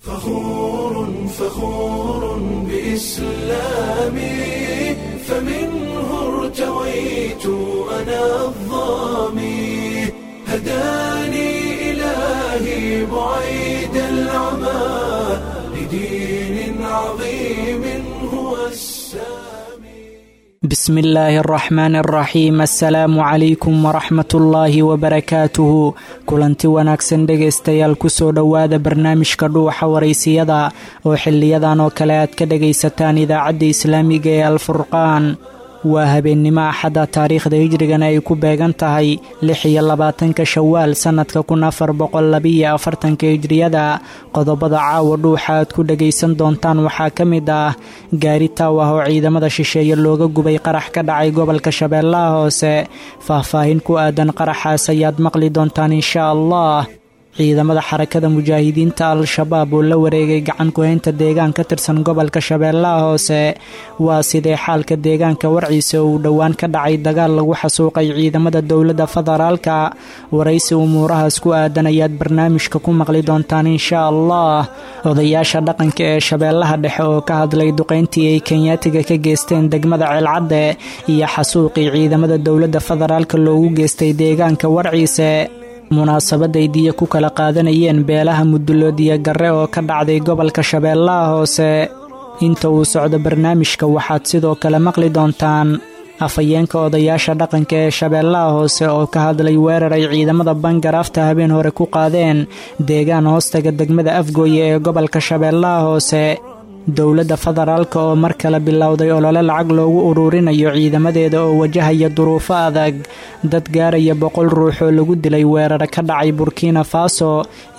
فخور فخور بإسلامي، فمنه ارتويت أنا الظامي، هداني إلهي بعيد العمى لدين عظيم هو السامي. بسم illaahi araxmaan araxiim assalaamu calaykum waraxmatullaahi wabarakaatuhu. Kulanti wanaagsan dhegaystayaal, kusoo dhowaada barnaamijka Dhuuxa Waraysiyada oo xiliyadan oo kale aad ka dhagaysataan Idaacadda Islaamiga ee Alfurqaan. Waa habeennimo Axada, taariikhda hijrigana ay ku beegan tahay 26-ka Shawaal sannadka 1442-ka hijriyada. Qodobada caawa Dhuuxa aad ku dhagaysan doontaan waxaa ka mid ah gaari taaw ah oo ciidamada shisheeye looga gubay qarax ka dhacay gobolka Shabeellaha Hoose. Faahfaahin ku aadan qaraxaas ayaad maqli doontaan insha Allah. Ciidamada Xarakada Mujaahidiinta Al-Shabaab oo la wareegay gacan ku-haynta deegaan ka tirsan gobolka Shabeellaha Hoose. Waa sidee xaalka deegaanka Warciisa oo uu dhowaan ka dhacay dagaal lagu xasuuqay ciidamada dowladda federaalka? Waraysi umuurahaas ku aadan ayaad barnaamijka ku maqli doontaan insha Allah. Odayaasha dhaqanka ee Shabeellaha Dhexe oo ka hadlay duqayntii ay Kenyaatiga ka geysteen degmada Ceelcadde iyo xasuuqii ciidamada dowladda federaalka loogu geystay deegaanka Warciise. Munaasabaday diya ku kala qaadanayeen beelaha Mudulood iyo Garre oo ka dhacday gobolka Shabeellaha Hoose. Inta uu socdo barnaamijka waxaad sidoo kale maqli doontaan afhayeenka odayaasha dhaqanka ee Shabeellaha Hoose oo ka hadlay weerar ay ciidamada Bangaraafta habeen hore ku qaadeen deegaan hoostaga degmada Afgooye ee gobolka Shabeellaha Hoose. Dowladda federaalka oo mar kale bilowday olole lacag loogu uruurinayo ciidamadeeda oo wajahaya duruufo adag. Dad gaaraya 100 ruux oo lagu dilay weeraro ka dhacay Burkina Faso.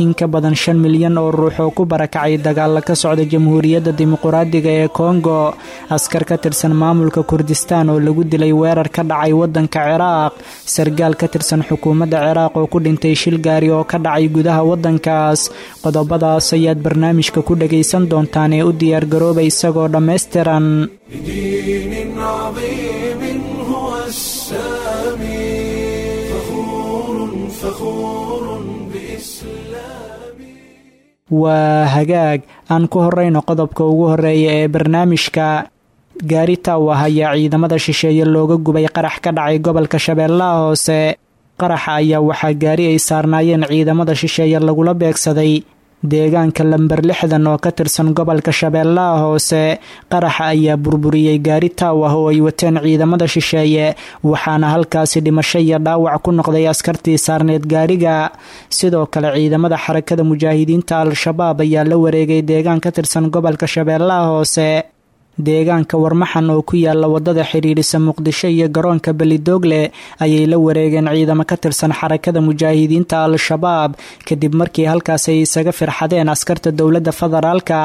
In ka badan 5 milyan oo ruux oo ku barakacay dagaalla ka socda Jamhuuriyadda Dimuquraadiga ee Kongo. Askar ka tirsan maamulka Kurdistaan oo lagu dilay weerar ka dhacay waddanka Ciraaq. Sargaal ka tirsan xukuumadda Ciraaq oo ku dhintay shil gaari oo ka dhacay gudaha waddankaas. Qodobadaas ayaad barnaamijka ku dhagaysan doontaan ee u diyaargarooba isagoo dhammaystiran. لدين عظيم هو السامي، فخور فخور بإسلامي. Waa hagaag, aan ku horeyno qodobka ugu horeeya ee barnaamijka. Gaari taaw ah ayaa ciidamada shisheeye looga gubay qarax ka dhacay gobolka Shabeellaha Hoose. Qaraxa ayaa waxaa gaari ay saarnaayeen ciidamada shisheeye lagula beegsaday deegaanka lamber 60 oo ka tirsan gobolka Shabeellaha Hoose. Qaraxa ayaa burburiyey gaari taaw ah oo ay wateen ciidamada shisheeye, waxaana halkaasi dhimasho iyo dhaawac ku noqday askartii saarneed gaariga. Sidoo kale ciidamada Xarakada Mujaahidiinta Al-Shabaab ayaa la wareegay deegaan ka tirsan gobolka Shabeellaha Hoose. Deegaanka Warmaxan oo ku yaala wadada xidhiidhisa Muqdisho iyo garoonka Belidoogle ayay la wareegeen ciidamo ka tirsan Xarakada Mujaahidiinta Al-Shabaab, kadib markii halkaas ay isaga firxadeen askarta dowladda federaalka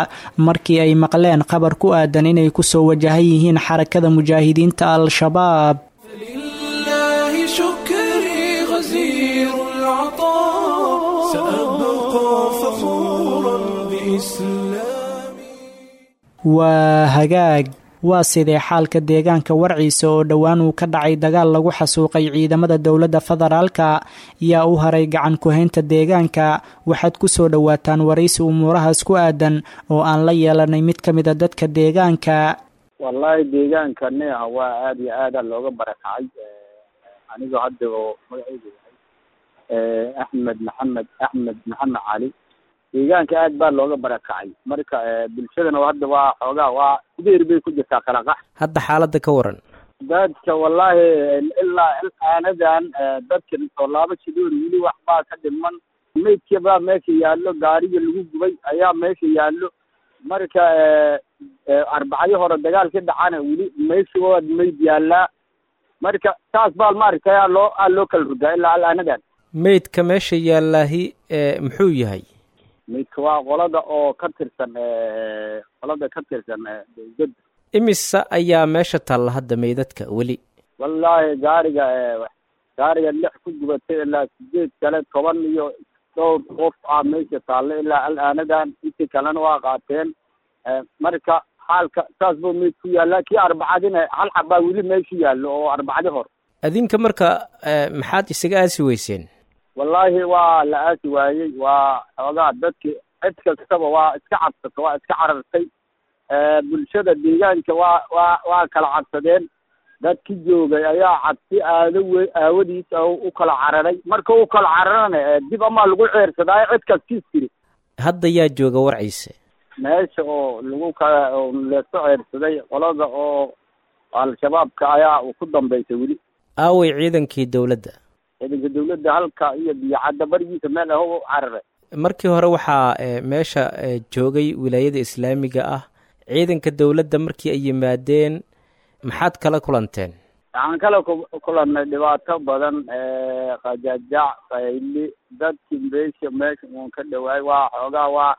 markii ay maqleen qabar ku aadan inay kusoo wajahan yihiin Xarakada Mujaahidiinta Al-Shabaab. فلله شكري غزير العطاء، سأبقى فخورا بإسلامي. Waa hagaag, waa sidee xaalka deegaanka Warciisa oo dhowaan uu ka dhacay dagaal lagu xasuuqay ciidamada dowladda federaalka? Yaa u haray gacan ku-haynta deegaanka? Waxaad ku soo dhowaataan waraysi umuurahaas ku aadan oo aan la yeelanay mid ka mida dadka deegaanka. Wallahi deegaanka neeha waa aada iyo aada looga barakacay. Anigoo hadda oo magacaygu yahay Axmed Maxamed, Axmed Maxamed Cali, deegaanka aad baa looga barakacay. Marka bulshadana hadda waa xoogaa waa sideer bay ku jirtaa kala qax. Hadda xaaladda ka waran. Dadka wallahi ilaa aanadan dadka soo laabo shidoor weli wax baa ka dhiman. Maydka baa meesha yaallo, gaariga lagu gubay ayaa meesha yaallo. Marka Arbacyo hore dagaal ka dhacana weli meesha waa mayd yaallaa. Marka saas baa maaragtay aa loo aa loo kala rogaa ilaa alaanadan. Meydka meesha yaallaahi muxuu yahay? Maydka waa qolada oo ka tirsan, qolada ka tirsan dowladda. Imise ayaa meesha taalla hadda meydadka weli? Wallaahi gaariga lix ku gubatay ilaa sideed kale, 10 iyo dhowr qof ah meesha taalla ilaa alaanadan. Intii kalena waa qaateen. Marka xaalka saas buu meyd ku yaallaa. Kii Arbacadina hal xabaa weli meesha yaallo oo Arbacadi hor. Adinka marka maxaad isaga aasi weyseen? Wallaahi waa la aasi waayey, waa xoogaa dadki Cid kastaba waa iska cabsata, waa iska carartay. Bulshada deegaanka waa kala cabsadeen. Dadki joogay ayaa cabsi aadawe aawadiis u kala cararay. Marka u kala cararana dib amaa lagu ceersadaayo cid kastiis tiri. Hadda yaa jooga Warciise? Meesha oo lagu kala leeso ceersaday qolada oo Al-Shabaabka ayaa ku dambeysay weli. Aaway ciidankii dowladda? Ciidanka dowladda halka iyo Biyocadda barigiisa meel ah u cararay. Markii hore waxaa meesha joogay wilaayada islaamiga ah. Ciidanka dowladda markii ay yimaadeen maxaad kala kulanteen? Waxaan kala kulannay dhibaato badan, qajajac, qayli. Dadkii meesha uun ka dhawaay waa xoogaa waa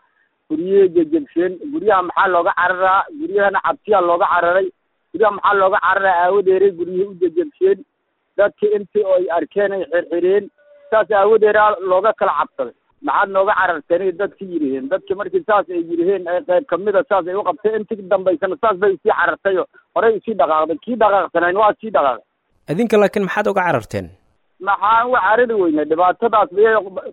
guryihii jejebsheen. Guryaha maxaa looga cararaa? Guryahana cabsiyaa looga cararay. Guryaha maxaa looga cararaa? Aawadeeray guryihii u jejebsheen. Dadkii intii ay arkeen ay xirxireen, saas aawadeeraa looga kala cabsaday. Maxaad nooga cararteen dadki yidhiheen. Dadki markii saas ay yidhiheen, ay qayb kamida saas ay u qabtay, intii dambaysana saas bay isii carartay oo horey isii dhaqaaqday. Kii dhaqaaqsanayn waa sii dhaqaaqay. Idinka laakiin maxaad uga cararteen? Maxaan uga carari weynay? Dhibaatadaas bay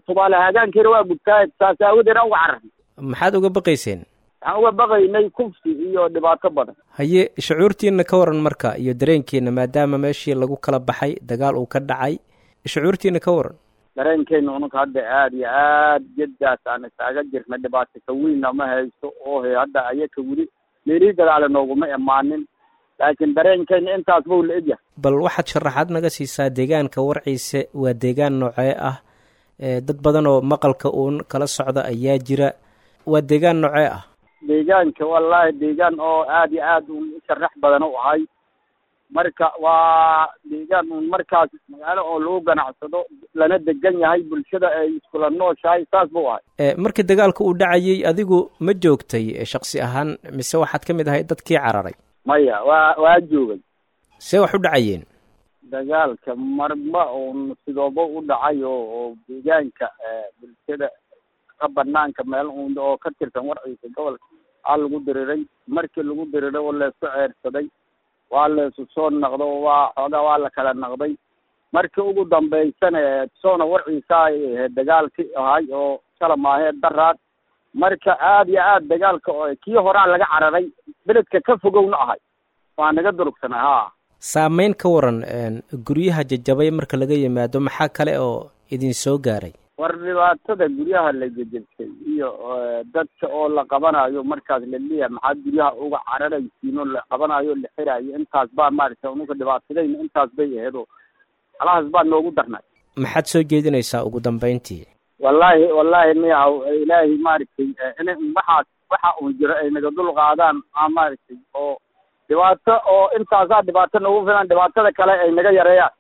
tubaale hagaankeena waa gubtaa, saas aawadeena uga cararnay. Maxaad uga baqayseen? Waxaan uga baqaynay kufsi iyo dhibaato badan. Haye, shucuurtiina ka waran marka iyo dareenkiina, maadaama meeshii lagu kala baxay, dagaal uu ka dhacay, shucuurtiina ka waran? Dareenkeena ununka hadda aada iyo aad jadaas aan isaaga jirna, dhibaato ka weynna ma haysto oo he hadda ayaka weli meelihii gadaale nooguma imaanin, laakiin dareenkeena intaas buu la egyahay. Bal waxaad sharaxaad naga siisaa deegaanka Warciise, waa deegaan noocee ah? Dad badan oo maqalka uun kala socda ayaa jira. Waa deegaan noocee ah? Deegaanka wallaahi deegaan oo aada iyo aad uun u sharax badan u ahay. Marka waa deegaan uun markaas magaalo oo lagu ganacsado lana degan yahay, bulshada ay iskula nooshahay, saas buu ahay. Markii dagaalka uu dhacayay adigu ma joogtay shaksi ahaan, mise waxaad ka mid ahay dadkii cararay? Maya, waa joogay. See wax u dhacayeen? Dagaalka marba uun sidooba u dhacay oo deegaanka bulshada ka banaanka meel uun oo ka tirsan Warciisa gobolka aa lagu diriray. Markii lagu diriray oo leesku ceersaday, waa laysu soo naqdo, waa xoogaa waa la kala naqday. Markii ugu dambaysana soona Warciisa ay ahayd dagaalki ahay oo shala maahee daraad. Marka aada iyo aad dagaalka oo kii horaa laga cararay, beledka ka fogowna ahay, waa naga durugsanay haa. Saameyn ka waran guryaha jajabay marka laga yimaado, maxaa kale oo idin soo gaaray? War dhibaatada guryaha la jejebsay iyo dadka oo la qabanayo markaas la leeyahay maxaad guryaha uga cararaysiin, oo la qabanayo, la xiraayo, intaas baa maaragtay ununka dhibaatadayna intaas bay ahayd oo alahaas baa noogu darnay. Maxaad soo jeedinaysaa ugu dambeyntii? Wallaahi miyahaw, ilaahay maaragtay in waxaas waxa uun jiro ay naga dul qaadaan a maaragtay oo dhibaato oo intaasaa dhibaato noogu filan, dhibaatada kale ay naga yareeyaan.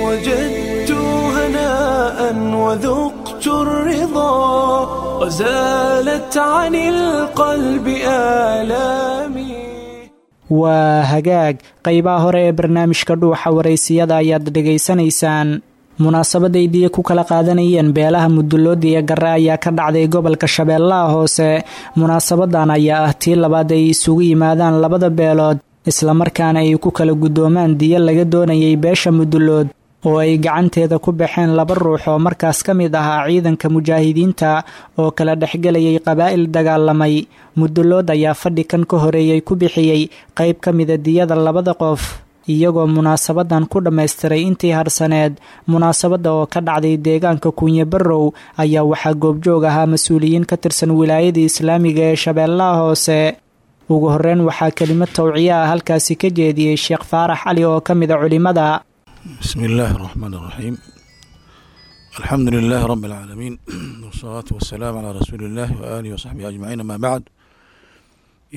وجدت هناء وذقت الرضا وزالت عن القلب آلامي. Waa hagaag, qaybaha hore ee barnaamijka Dhuuxa Waraysiyada ayaad dhegaysanaysaan. Munaasabadaydiiya ku kala qaadanayeen beelaha Mudulood iyo Gare ayaa ka dhacday gobolka Shabeellaha Hoose. Munaasabadan ayaa ah tii labaad ay isugu yimaadaan labada beelood, islamarkaana ay ku kala guddoomaan diyo laga doonayay beesha Mudulood oo ay gacanteeda ku baxeen laba ruux oo markaas ka mid ahaa ciidanka mujaahidiinta oo kala dhexgelayay qabaa'il dagaalamay. Mudulood ayaa fadhi kan ka horeeyey ku bixiyey qayb ka mida diyada labada qof, iyagoo munaasabadan ku dhammaystiray intii harsaneed. Munaasabadda oo ka dhacday deegaanka Kunye Barrow ayaa waxaa goobjoog ahaa mas-uuliyiin ka tirsan wilaayada islaamiga ee Shabeellaha Hoose. Ugu horreyn waxaa kelimad tawciye ah halkaasi ka jeediyey Sheekh Faarax Cali oo ka mida culimada. بسم الله الرحمن الرحيم، الحمد لله رب العالمين، والصلاة والسلام على رسول الله وآله وصحبه أجمعين، ما بعد.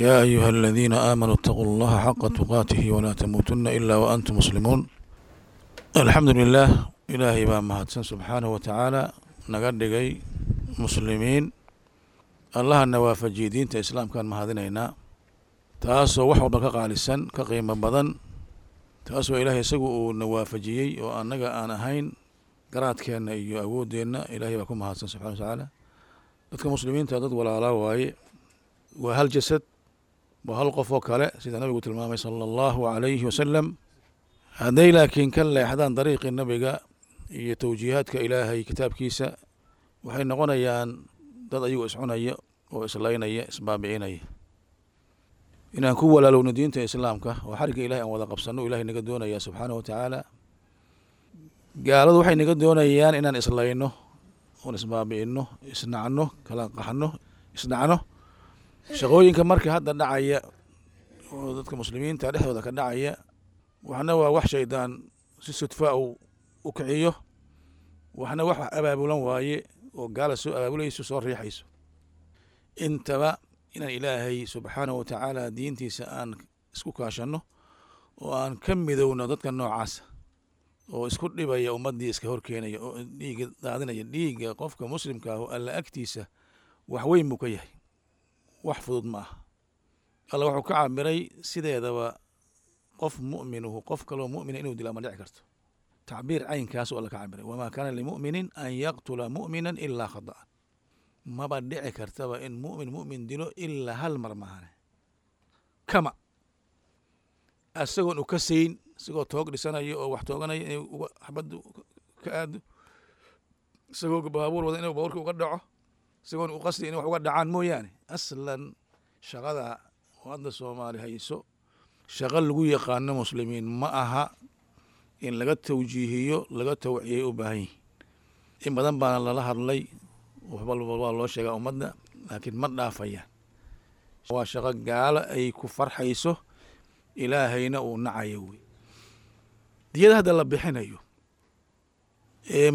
يا أيها الذين آمنوا اتقوا الله حق تقاته ولا تموتن إلا وأنتم مسلمون. الحمد لله، إلهي baa mahadsan سبحانه وتعالى naga dhigay muslimiin. Allahana waafajiyey diinta islaamkaan mahadinaynaa, taasoo wax walba ka qaalisan, ka qiimo badan, taasoo ilaahay isagu uu na waafajiyey oo annaga aan ahayn garaadkeenna iyo awooddeenna. Ilaahay baa ku mahadsan subxana watacaala. Dadka muslimiinta dad walaalaa waaye, waa hal jasad, waa hal qof oo kale, sida nabigu tilmaamay sala allahu calayhi wasalam. Hadday laakiin ka leexdaan dariiqii nabiga iyo towjiihaadka ilaahay kitaabkiisa, waxay noqonayaan Dad ayagoo iscunaya oo islaynaya, isbaabi'inaya. Inaan ku walaalowno diinta Islaamka oo xarigga Ilahay aan wada qabsanno Ilahay naga doonaya subxaanahu wa tacaala. Gaaladu waxay naga doonayaan inaan islayno oon isbaabi'ino, isnacno, kala qaxno, isnacno. Shaqooyinka marka hadda dhacaya oo dadka muslimiinta dhexdooda ka dhacaya, waxna waa wax shaydaan si sudfa uu u kiciyo, waxna wax abaabulan waaye oo gaala soo abaabulayso, soo riixayso. Intaba inaan Ilaahay subxaanahu wa tacaala diintiisa aan isku kaashanno oo aan ka midowno dadka noocaasa oo isku dhibaya ummaddii, iska horkeenaya oo dhiigga daadinaya. Dhiigga qofka muslimka ah Alla agtiisa wax weyn buu ka yahay, wax fudud ma aha. Alla wuxuu ka cabiray sideedaba qof mu'minuhu qof kaloo mu'mina inuu dila ma dhici karto. Tacbiir caynkaas alla ka cabiray: wamaa kaana limu'minin an yaqtula mu'minan ilaa khata'an. Maba dhici kartaba in mu'min mu'min dilo ilaa hal mar maahane, kama isagoon u kasayn, isagoo toog dhisanayo oo wax tooganaya inay uga xabaddu ka aado, isagoo baabuur wada inuu baabuurka uga dhaco, isagoon u qasdi inay wax uga dhacaan mooyaane. Aslan shaqada oo hadda Soomaali hayso shaqo lagu yaqaano muslimiin ma aha. In laga tawjiihiyo, laga tawciyay u baahan yihin. In badan baana lala hadlay, waxba waa loo sheegaa ummadda, laakiin ma dhaafayaan. Waa shaqo gaalo ay ku farxayso, Ilaahayna uu nacayo wey. Diyada hadda la bixinayo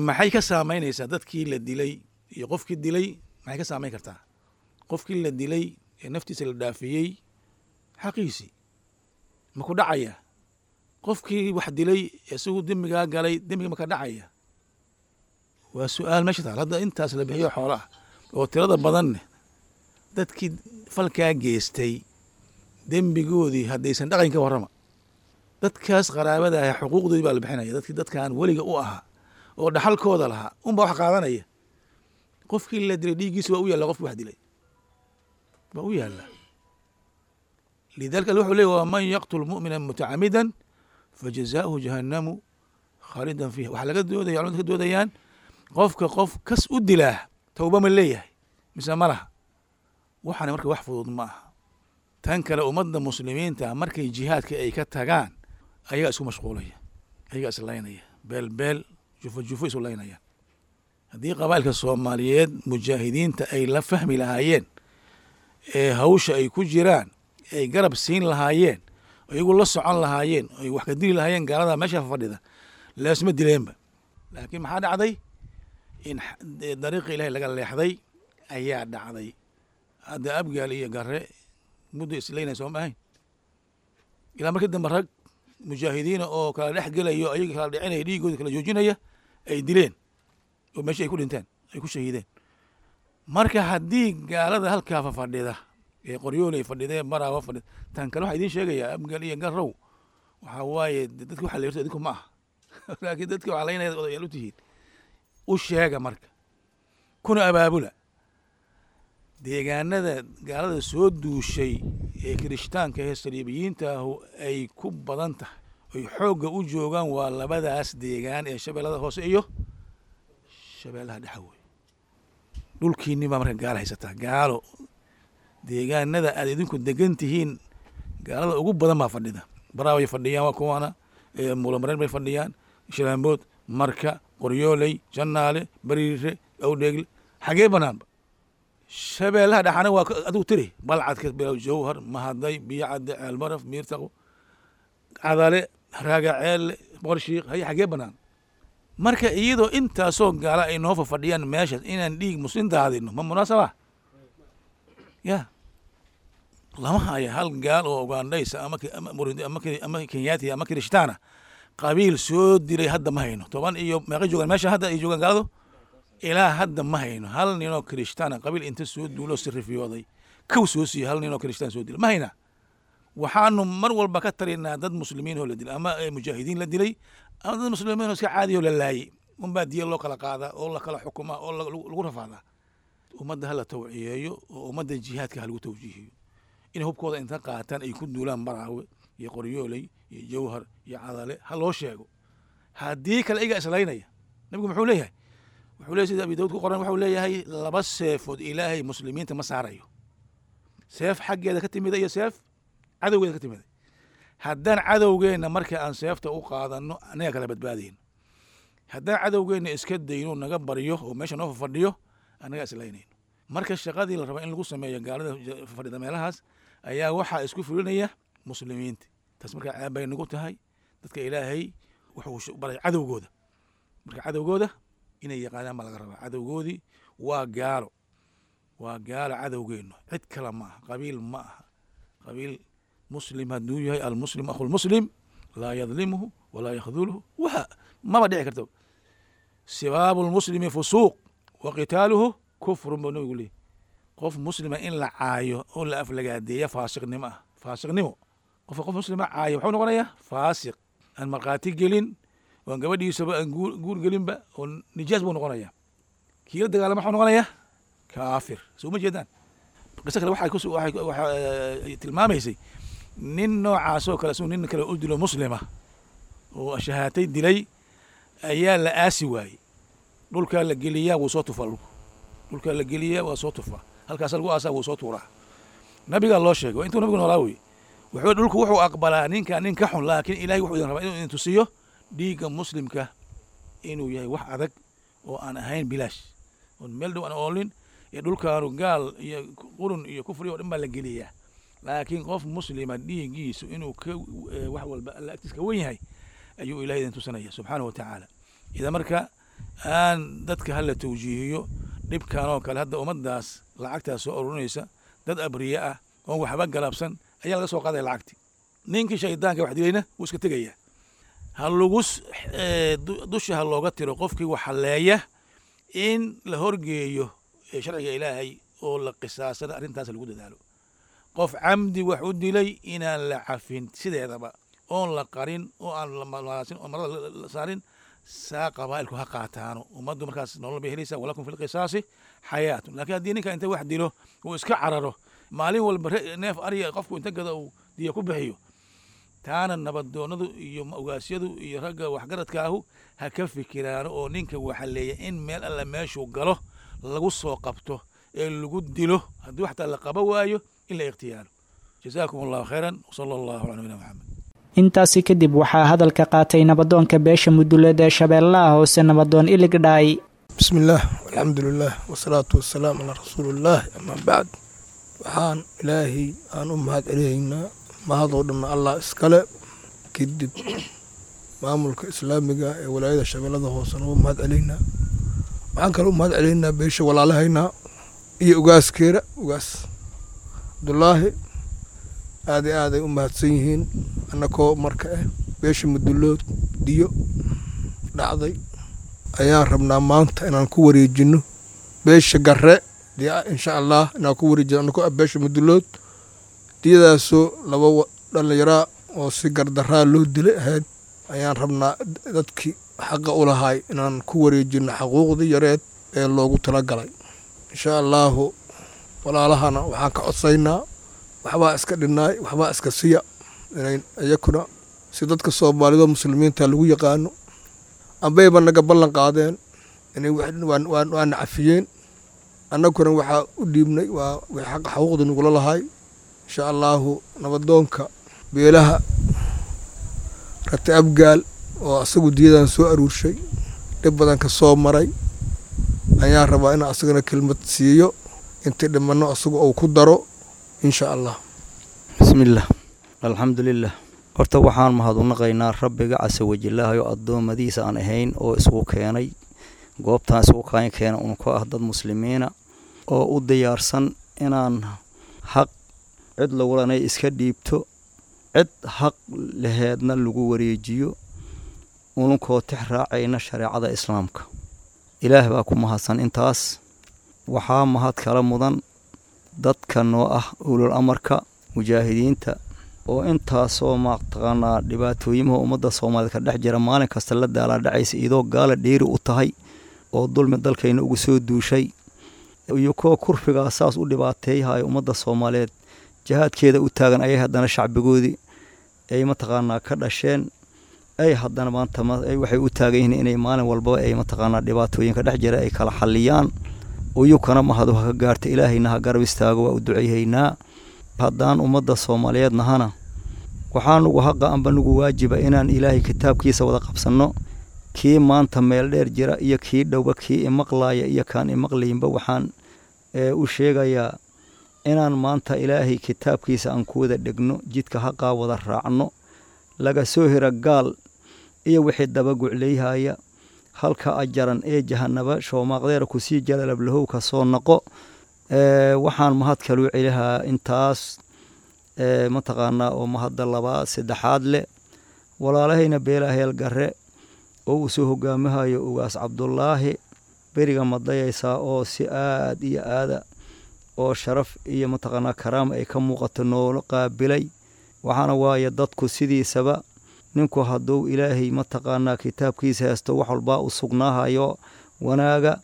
maxay ka saameynaysaa dadkii la dilay iyo qofkii dilay? Maxay ka saameyn kartaa qofkii la dilay ee naftiisa la dhaafiyey? Xaqiisii ma ku dhacaya? Qofkii wax dilay isagu dembigaa galay, dembiga ma ka dhacaya? Waa su-aal meesha taal. Hadda intaas la bixiyo xoola ah oo tirada badanne, dadkii falkaa geestay dembigoodii haddaysan dhaqayn, ka warrama dadkaas qaraabada ah? Xuquuqdoodii baa la bixinaya. Dadkii dadkan weliga u ahaa oo dhaxalkooda lahaa unbaa wax qaadanaya. Qofkii la dilay dhiiggiisa waa u yaalla, qofkii wax dilay waa u yaalla. Lidalika wuxuu leey: waman yaqtul mu'mina mutacamidan fajazaؤuhu jahannamu khaalidan fiiha. Waxaa laga doodaya, culamadu ka doodayaan, qofka qof kas u dilaa towba ma leeyahay mise ma laha? Waxaana marka wax fudud ma aha. Tan kale, ummadda muslimiinta markay jihaadka ay ka tagaan, ayagaa isku mashquulaya, ayagaa islaynaya, beel beel, jufo jufo isu laynayaan. Haddii qabailka Soomaaliyeed mujaahidiinta ay la fahmi lahaayeen ee hawsha ay ku jiraan ay garab siin lahaayeen, iyagu la socon lahaayeen, ay wax ka dili lahaayeen gaalada meesha fadhida, leesma dileenba. Laakiin maxaa dhacday? In dariiqi Ilahay laga leexday ayaa dhacday. Hadda Abgaal iyo Gare muddo islaynay soo ma ahayn, ilaa markii dambe rag mujaahidiina oo kala dhex gelayo, ayaga kala dhicinaya, dhiigooda kala joojinaya ay dileen oo meesha ay ku dhinteen, ay ku shahiideen. Marka haddii gaalada halkaa fadhida ee Qoryooley fadhidee, Maraawa fadhida, tan kale waxaa idiin sheegayaa, Abgaal iyo Garow, waxaa waaye dadka waxa la yirto idinku ma aha, laakiin dadka waxaa laynaya odayaal u tihiin. U sheega marka, kuna abaabula deegaanada gaalada soo duushay ee kirishtaanka ee saliibiyiinta ahu ay ku badan tahay, ay xoogga u joogaan. Waa labadaas deegaan ee Shabeellada Hoose iyo Shabeellaha Dhexe wey. Dhulkiinni baa marka gaalo haysataa. Gaalo deegaanada aad idinku degan tihiin gaalada ugu badan baa fadhida. Baraa bay fadhiyaan, waa kuwaana Muulamareen bay fadhiyaan, Shalaambood, Marka, Qoryooley, Jannaale, Bariire, Awdheegle, xagee banaanba. Shabeellaha Dhexana waa adigu tiri: Balcadka bilow, Jowhar, Mahaday, Biyocadde, Ceelbaraf, Miirtaqo, Cadale, Raaga Ceelle, Boqorshiiq, haye xagee banaan? Marka iyadoo intaasoo gaala ay noo fafadhiyaan meeshaas, inaan dhiig muslim daadino ma munaasaba? Ya lama haya hal gaal oo Ugandhaysa ama ama Kenyaati ama Kirishtaana qabiil soo dilay. Hadda ma hayno. Toban iyo meeqa joogaan meesha hadda ay joogaan gaaladu? Ilaa hadda ma hayno hal ninoo Kirishtaana qabiil inta soo duulo sirifiyooday kow soo siiyo. Hal ninoo Kirishtaan soo dilay ma haynaa. Waxaanu mar walba ka talinaa dad muslimiin oo la dilay, ama mujaahidiin la dilay, ama dad muslimiin oo iska caadi oo la laayay unbaa diya loo kala qaadaa oo la kala xukumaa oo lagu rafaadaa. Ummadda hala tawciyeeyo oo ummadda jihaadka ha lagu tawjiihiyo inay hubkooda inta qaataan ay ku duulaan Baraawe iyo Qoryooley iyo Jowhar iyo Cadale. Ha loo sheego. Haddii kale iga islaynaya. Nabigu muxuu leeyahay? Wuxuu leeyahy, sida Abi Dawud ku qoran, wuxuu leeyahay laba seefood Ilaahay muslimiinta ma saarayo, seef xaggeeda ka timida iyo seef cadowgeeda ka timida. Haddaan cadowgeenna marka aan seefta u qaadano, annaga kala badbaadayno. Haddaan cadowgeenna iska dayno, naga baryo oo meesha noo fadhiyo, annaga islaynayno. Marka shaqadii la raba in lagu sameeyo gaalada fadhida meelahaas ayaa waxaa isku fulinaya muslimiinta. Taas marka ceeb bay nagu tahay. Dadka Ilaahay wuxuu baray cadowgooda, marka cadowgooda inay yaqaanaan baa laga rabaa. Cadowgoodii waa gaalo, waa gaalo cadowgeennu, cid kale ma aha, qabiil ma aha. Qabiil muslim hadduu yahay, almuslim akhu lmuslim laa yadlimuhu walaa yakhduluhu, waxa maba dhici karto. Sibaabu lmuslimi fusuuq wa qitaaluhu kufrun buu nabigu leeyahy. Qof muslima in la caayo oo la aflagaadeeya faasiqnimo ah, faasiqnimo. Qofka qof muslima caayo muxuu noqonayaa? Faasiq aan markhaati gelin oon gabadhiisaba aan guur gelinba oo nijaas buu noqonayaa. Kii la dagaalama muxuu noqonayaa? Kaafir. Soo ma jeedaan? Qiso kale waxay tilmaamaysay nin noocaas oo kale suu nin kale u dilo muslima oo shahaatay dilay ayaa la aasi waayey. Dhulkaa la geliyaa, wuu soo tufaa. Dhulku dhulkaa la geliyaa, waa soo tufaa. Halkaasa lagu aasaa, wuu soo tuuraa. Nabigaa loo sheegay, waa intuu nabigu noolaa wey. Wuxuu dhulku wuxuu aqbalaa ninka nin ka xun, laakiin Ilahay wuxuu idin rabaa inuu idin tusiyo dhiigga muslimka inuu yahay wax adag oo aan ahayn bilaash oon meel dhow aan oolin. Ee dhulkaanu gaal iyo qurun iyo kufri oo dhan baa la geliyaa, laakiin qof muslima dhiiggiisu inuu ka wax walba Alla agtiis ka wen yahay ayuu Ilahay idin tusanaya subxaanahu wa tacaala. Idan marka aan dadka hala tawjiihiyo dhibkan oo kale. Hadda ummaddaas lacagtaas soo ururinaysa, dad abriye ah oon waxba galabsan ayaa laga soo qaadaya lacagti. Ninkii shaydaanka wax dilayna wuu iska tegayaa. Ha lagu dusha ha looga tiro qofkii wax haleeya in la horgeeyo sharciga Ilaahay oo la qisaasana. Arrintaas lagu dadaalo. Qof camdi wax u dilay inaan la cafin sideedaba, oon la qarin oo aan la malaasin oo marada la saarin, saa qabaa'ilku ha qaataano. Ummaddu markaas nolol bay helaysaa. Walakum fi lqisaasi xayaatun. Laakiin haddii ninka inta wax dilo uu iska cararo, maalin walba neef ariya qofku inta gada uu diya ku bixiyo, taana nabadoonadu iyo ogaasyadu iyo ragga waxgaradka ahu ha ka fikiraano oo ninka waxaleeya in meel alla meeshuu galo lagu soo qabto ee lagu dilo, haddii xataa la qaba waayo in la ikhtiyaalo. Jazaakum Allahu khayran, wsala Allahu cala nabiyina Maxamed. Intaasi kadib waxaa hadalka qaatay nabadoonka beesha Muduleed ee Shabeellaha Hoose, nabadoon Ilig Dhaay. Bismi illaah, alxamdu lilah, wasalaatu wasalaam calaa rasuulillaah, amaa bacd. Waxaan Ilaahay aan u mahad celihaynaa, mahadoo dhanna Allah iskale. Kadib maamulka islaamiga ee walaayada Shabeellada Hoosena u mahad celaynaa. Waxaan kale u mahad celaynaa beesha walaalahaynaa iyo ugaaskeera, ugaas Cabdulaahi. Aad iyo aaday u mahadsan yihiin. Annakoo marka ah beesha Mudulood, diyo dhacday ayaan rabnaa maanta inaan ku wareejino beesha Garre diya, insha Allah inaan ku wareejino. Annakoo ah beesha Mudulood, diyadaasoo laba dhallinyaraa oo si gardaraa loo dilay ahayd ayaan rabnaa dadkii xaqa u lahay inaan ku wareejino xaquuqdii yareed ee loogu talagalay, insha Allaahu. Walaalahana waxaan ka codsaynaa, waxbaa iska dhinnaay, waxbaa iska siya, inay iyakuna si dadka Soomaalida muslimiinta lagu yaqaano ambayba naga ballan qaadeen inay waana cafiyeen. Annaguna waxaa u dhiibnay waa wixii xaqa xaquuqda nagula lahay, insha Allaahu. Nabadoonka beelaha Rate Abgaal oo asagu diyadan soo aruurshay, dhib badan ka soo maray, ayaan rabaa inaan asagana kelmad siiyo, intii dhimanno asagu uu ku daro, insha Allah. Bismillaah, alxamdulilah. Horta waxaan mahad u naqaynaa Rabbiga casa wajilaahay oo addoommadiisa aan ahayn oo isugu keenay goobtaan, isugu kaan keena un ku ah dad muslimiina oo u diyaarsan inaan xaq cid lagulanay iska dhiibto, cid xaq laheedna lagu wareejiyo, ununkoo tix raacayna shareecada islaamka. Ilaah baa ku mahadsan. Intaas waxaa mahad kala mudan dadka noo ah ulul amarka, mujaahidiinta, oo intaasoo mataqaanaa dhibaatooyimaha ummadda Soomaaliyed ka dhex jira maalin kasta la daalaa dhacaysa, iyadoo gaala dheeri u tahay oo dulmi dalkayna ugu soo duushay iyo kuwa kurfigaa saas u dhibaateeyahaya ummadda Soomaaliyeed jihaadkeeda u taagan, ayay haddana shacbigoodii ay mataqaanaa ka dhasheen. Ay haddana maanta waxay u taagan yihiin inay maalin walbaba ay mataqaanaa dhibaatooyinka dhex jira ay kala xalliyaan. Uyukana mahadu ha ka gaarta, ilaahayna ha garab istaago, waa u duceyhaynaa. Haddaan ummadda Soomaaliyeed nahana, waxaa nugu haqa amba nugu waajiba inaan ilaahay kitaabkiisa wada qabsanno. Kii maanta meel dheer jira iyo kii dhowba, kii imaqlaaya iyo kaan imaqlayinba, waxaan u sheegayaa inaan maanta ilaahay kitaabkiisa aan ku wada dhegno, jidka haqaa wada raacno, laga soo hira gaal iyo wixii dabagucleyhaya halka ajaran ee jahanaba shoomaaqdeera kusii jalalablahow ka soo noqo. Waxaan mahad kaluu celihaa intaas mataqaanaa oo mahadda labaad saddexaad leh walaalahayna Beela Heel Garre oo uu soo hogaamihayo Ugaas Cabdulaahi beriga madayaysaa, oo si aad iyo aada oo sharaf iyo mataqaanaa karaama ay ka muuqato noola qaabilay. Waxaana waaye dadku sidiisaba ninku hadduu ilaahay mataqaanaa kitaabkiisa haysto, wax walbaa u sugnaahayo wanaaga.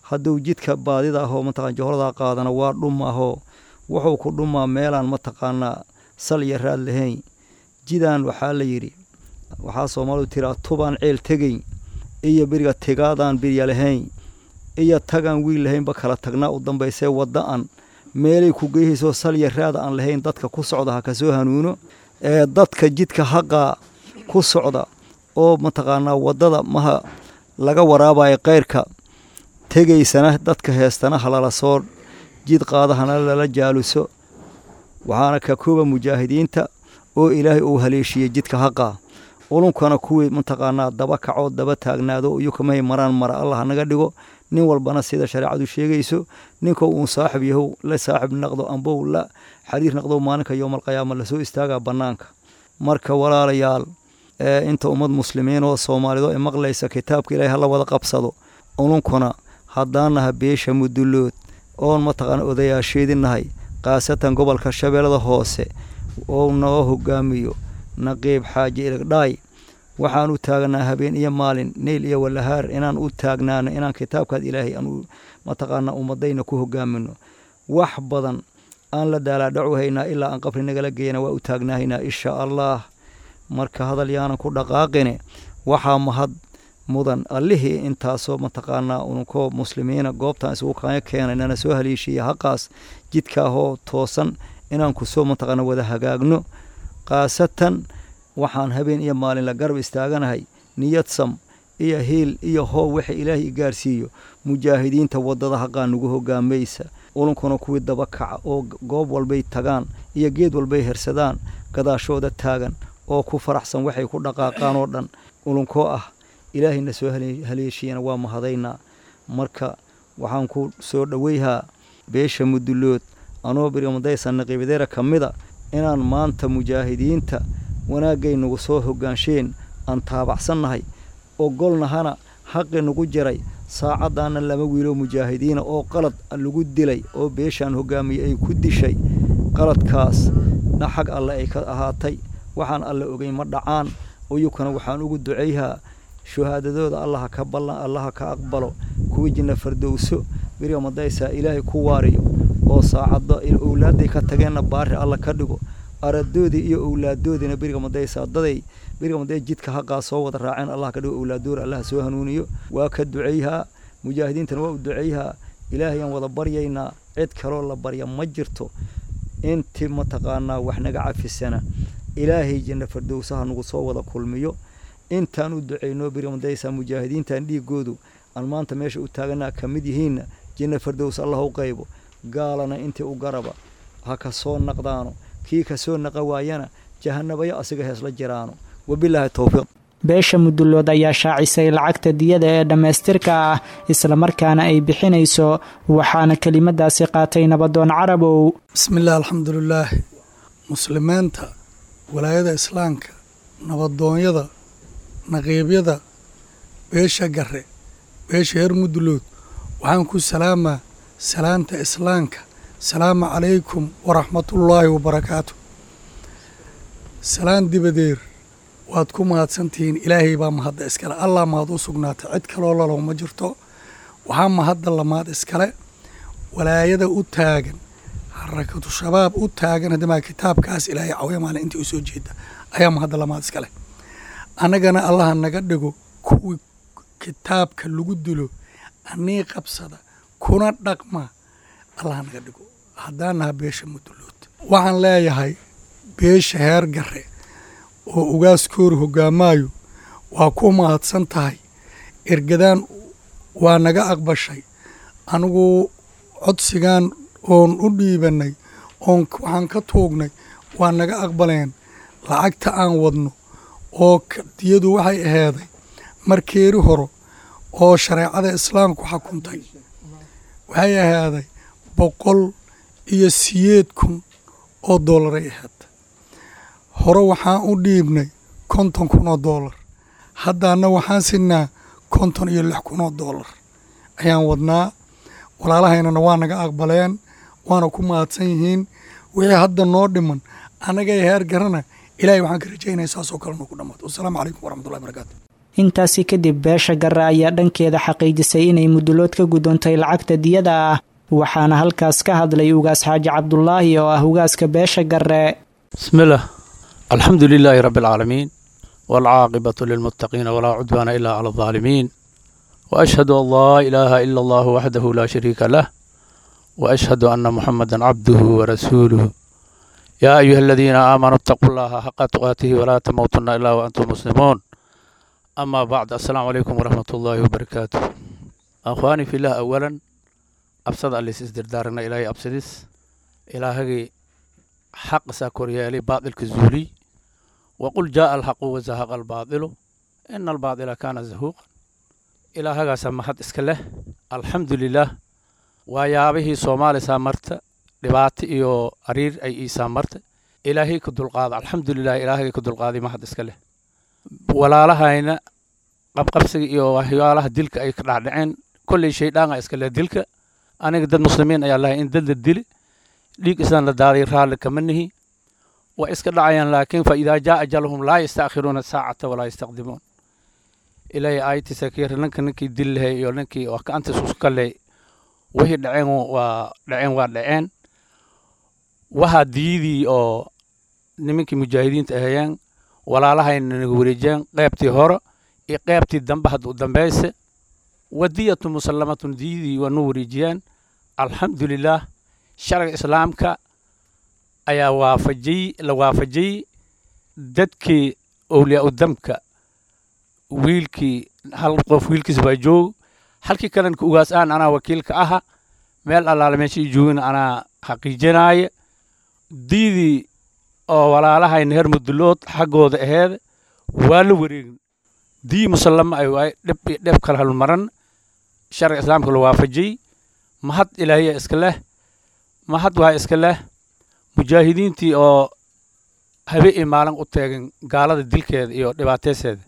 Hadduu jidka baadida ahoo mataqana joholadaa qaadana, waa dhumahoo wuxuu ku dhumaa meelaan mataqaanaa sal iyo raad lahayn. Jidaan waxaa la yidhi, waxaa Soomaalidu tiraa, tubaan ceel tegayn iyo beriga tigaadaan birya lahayn iyo tagaan wiil lahaynba kala tagnaa u dambaysee. Wadda-an meelay ku geyhaysoo sal iyo raada aan lahayn dadka ku socda ha kasoo hanuuno. Ee dadka jidka haqaa ku socda oo mataqaanaa waddada maha laga waraabayo keyrka tegaysana, dadka heestana halala soo jid qaada, hana lala jaaluso. Waxaana ka kooba mujaahidiinta oo ilaahay uu haleeshiiyey jidka haqaa, ulunkana kuwii mataqaanaa daba kacoo daba taagnaado iyukamahay maraan mara Allah hanaga dhigo. Nin walbana sida shareecadu sheegayso, ninka uun saaxib yahow la saaxib naqdo ambow la xariir naqdo, maalinka yowmalqiyaama lasoo istaagaa bannaanka. Marka walaalayaal, inta ummad muslimiin oo Soomaalido ay maqlaysa, kitaabka ilaahay hala wada qabsado. Ulunkuna haddaanaha beesha Mudulood oon mataqaana odayaasheedinahay, khaasatan gobolka Shabeellada Hoose oo noo hogaamiyo Naqiib Xaaji Iligdhaay, waxaan u taagnaa habeen iyo maalin, neyl iyo walahaar, inaan u taagnaano inaan kitaabkaas ilaahay aan mataqaanaa ummadayna ku hogaamino. Wax badan aan la daalaadhacu haynaa, ilaa aan qabri nagala geeyana waa u taagnaahaynaa insha Allah. Marka hadal yaanan ku dhaqaaqine, waxaa mahad mudan allihii intaasoo mataqaanaa ununkoo muslimiina goobtaan isugu kaanya keenay, nana soo haleeshiiya haqaas jidkaahoo toosan inaan kusoo mataqaana wada hagaagno. Khaasatan waxaan habeen iyo maalin la garab istaaganahay niyad sam iyo hiil iyo hoob waxa ilaahay i gaarsiiyo mujaahidiinta waddada haqaa nagu hogaamaysa. Ulunkuna kuwii daba kaca oo goob walbay tagaan iyo geed walbay hersadaan gadaashooda taagan oo ku faraxsan waxay ku dhaqaaqaan oo dhan ulunkoo ah ilaahayna soo haleeshiyana waa mahadaynaa. Marka waxaan ku soo dhoweyhaa beesha Mudulood anoo berigamadaysa naqiibadeera ka mida inaan maanta mujaahidiinta wanaagay nagu soo hogaansheen aan taabacsannahay, ogolnahana xaqi nagu jiray. Saacaddaana laba wiiloo mujaahidiina oo qalad lagu dilay oo beeshaan hogaamiyey ay ku dishay, qaladkaas na xag alle ay ka ahaatay. Waxaan alle ogeyn ma dhacaan. Uyukana waxaan ugu duceyhaa shuhaadadooda allaha ka ballan, allaha ka aqbalo, kuwii jinna fardowso beriga madaysaa ilaahay ku waariyo, oo saacadda owlaadday ka tageenna baari alla ka dhigo, aradoodii iyo owlaadoodiina beriga madaysaa daday beriga maday jidka haqaa soo wada raaceen allah ka dhigo, owlaadoor allaha soo hanuuniyo. Waa ka duceyhaa, mujaahidiintana waa u duceyhaa. Ilaahayaan wada baryaynaa, cid kaloo la barya ma jirto. Inti mataqaanaa wax naga cafisana ilaahay janna fardowsaha nagu soo wada kulmiyo. Intaan u duceyno beriga madaysaa mujaahidiintan dhiigoodu aan maanta meesha u taaganaa ka mid yihiinna janna fardows allah u qaybo. Gaalana intii u garaba ha ka soo naqdaano, kii ka soo naqa waayana jahanabayo asiga heesla jiraano. Wabilaahi towfiiq. Beesha Mudulood ayaa shaacisay lacagta diyada ee dhammaystirka ah islamarkaana ay bixinayso, waxaana kelimadaasi qaatay Nabadoon Carabow. Bismillaah, alxamdulilaah. Muslimiinta walaayada islaamka, nabadoonyada, naqiibyada beesha Garre, beesha heer Mudulood, waxaan ku salaamaa salaanta islaamka: salaamu calaykum waraxmatullaahi wabarakaatu. Salaan dibadeer, waad ku mahadsantihiin. Ilaahay baa mahadda iskale, Allah mahad u sugnaatay, cid kaloo lalow ma jirto. Waxaa mahadda lamaad iskale walaayada u taagan, Xarakatu Shabaab u taagan hadamaa kitaabkaas ilaahay cawya maalin intii u soo jeeda ayaa mahadda lamaad iskale. Annagana Allaha naga dhigo kuwii kitaabka lagu dilo anii qabsada kuna dhaqma, Allaha naga dhigo haddaan naha beesha Mudulood. Waxaan leeyahay beesha heer Garre oo ugaaskoori hoggaamaayo, waa ku mahadsan tahay ergadaan, waa naga aqbashay. Anigu codsigan oon u dhiibannay oon waxaan ka tuugnay waa naga aqbaleen. Lacagta aan wadno oo diyadu waxay aheeday markeeri horo oo shareecada islaamku xukuntay, waxay aheeday 108,000 oo doolaray aheed. Hore waxaan u dhiibnay 50,000 oo doolar, haddaana waxaan sinaa 56,000 oo doolar ayaan wadnaa. Walaalahaynana waa naga aqbaleen, waana ku mahadsan yihiin. Wixii hadda noo dhiman annagay heer Garana, Ilahay waxaan ka rajaynaya saasoo kale noo ku dhammaato. Wasalaamu calaykum waraxmatullahi barakaatu. Intaasi kadib beesha Garre ayaa dhankeeda xaqiijisay inay Mudulood ka guddoontay lacagta diyada ah, waxaana halkaas ka hadlay Ugaas Xaaji Cabdulaahi oo ah ugaaska beesha Garre. Bismillaah, alxamdu lilaahi rabbi alcaalamiin, waalcaaqibatu lilmuttaqiina, walaa cudwaana ilaa cala aldaalimiin, waashhadu an laa ilaaha ila allahu waxdahu laa shariika lah, waashhadu anna muxamadan cabduhu warasuuluh. Yaa ayuha aladiina aamanuu ittaquu llaha xaqa tuqaatihi walaa tamuutunna ilaa waantum muslimuun. Ama bacd, assalaamu calaykum waraxmat ullaahi wabarakaatu. Akhwaani filah, awalan absada allis isdirdaarana Ilaahay absadis, Ilaahagii xaqisaa koryeelay, baadilka zuuliy. Waqul jaaa alxaqu wazahaqa albaadilu ina albaadila kaana zahuuqan. Ilaahagaasaa mahad iska leh, alxamdu lilaah. Waa yaabihii Soomaalisaa marta dhibaato iyo ariir ay iisaa marta, Ilaahay ka dulqaada, alxamdu lilah. Ilaahagii ka dulqaaday mahad iska leh. Walaalahayna qabqabsiga iyo waxyaalaha dilka ay ka dhacdhaceen, kolley shaydhaanga iska leh dilka. Aniga dad muslimiin ayaa lahay, in dad la dili, dhiig islaan la daaday, raalli kama nihi. Waa iska dhacayaan, laakiin fa idaa jaa ajaluhum laa yastaakhiruuna saacata walaa yastaqdimuun. Ilaahay aayatiisa ka ninka ninkii dil lahay iyo ninkii wax gacantiis isku leh, wixii dhaceen waa dhaceen, waa dhaceen. Waxaa diyadii oo nimankii mujaahidiinta ahayeen walaalahayna naga wareejiyeen, qeybtii hore iyo qeybtii dambe hadda u dambayse, wadiyatu musallamatun, diyadii waa noo wareejiyeen, alxamdulilaah. Sharciga islaamka ayaa waafajiyey, la waafajiyey dadkii owliyaa u damka. Wiilkii hal qof wiilkiis baa joog, halkii kalena ka ugaas aan anaa wakiilka aha, meel allaale meesha ii joogina anaa xaqiijinaaya. Diidii oo walaalahayna heer Mudulood xaggooda aheed waa la wareegin, dii musallama ay waay, dhib iyo dheb kala halmaran, sharciga islaamka la waafajiyey. Mahad Ilaahiya iska leh, mahad waxaa iska leh mujaahidiintii oo habe iyo maalin u teegin gaalada dilkeeda iyo dhibaatayseeda,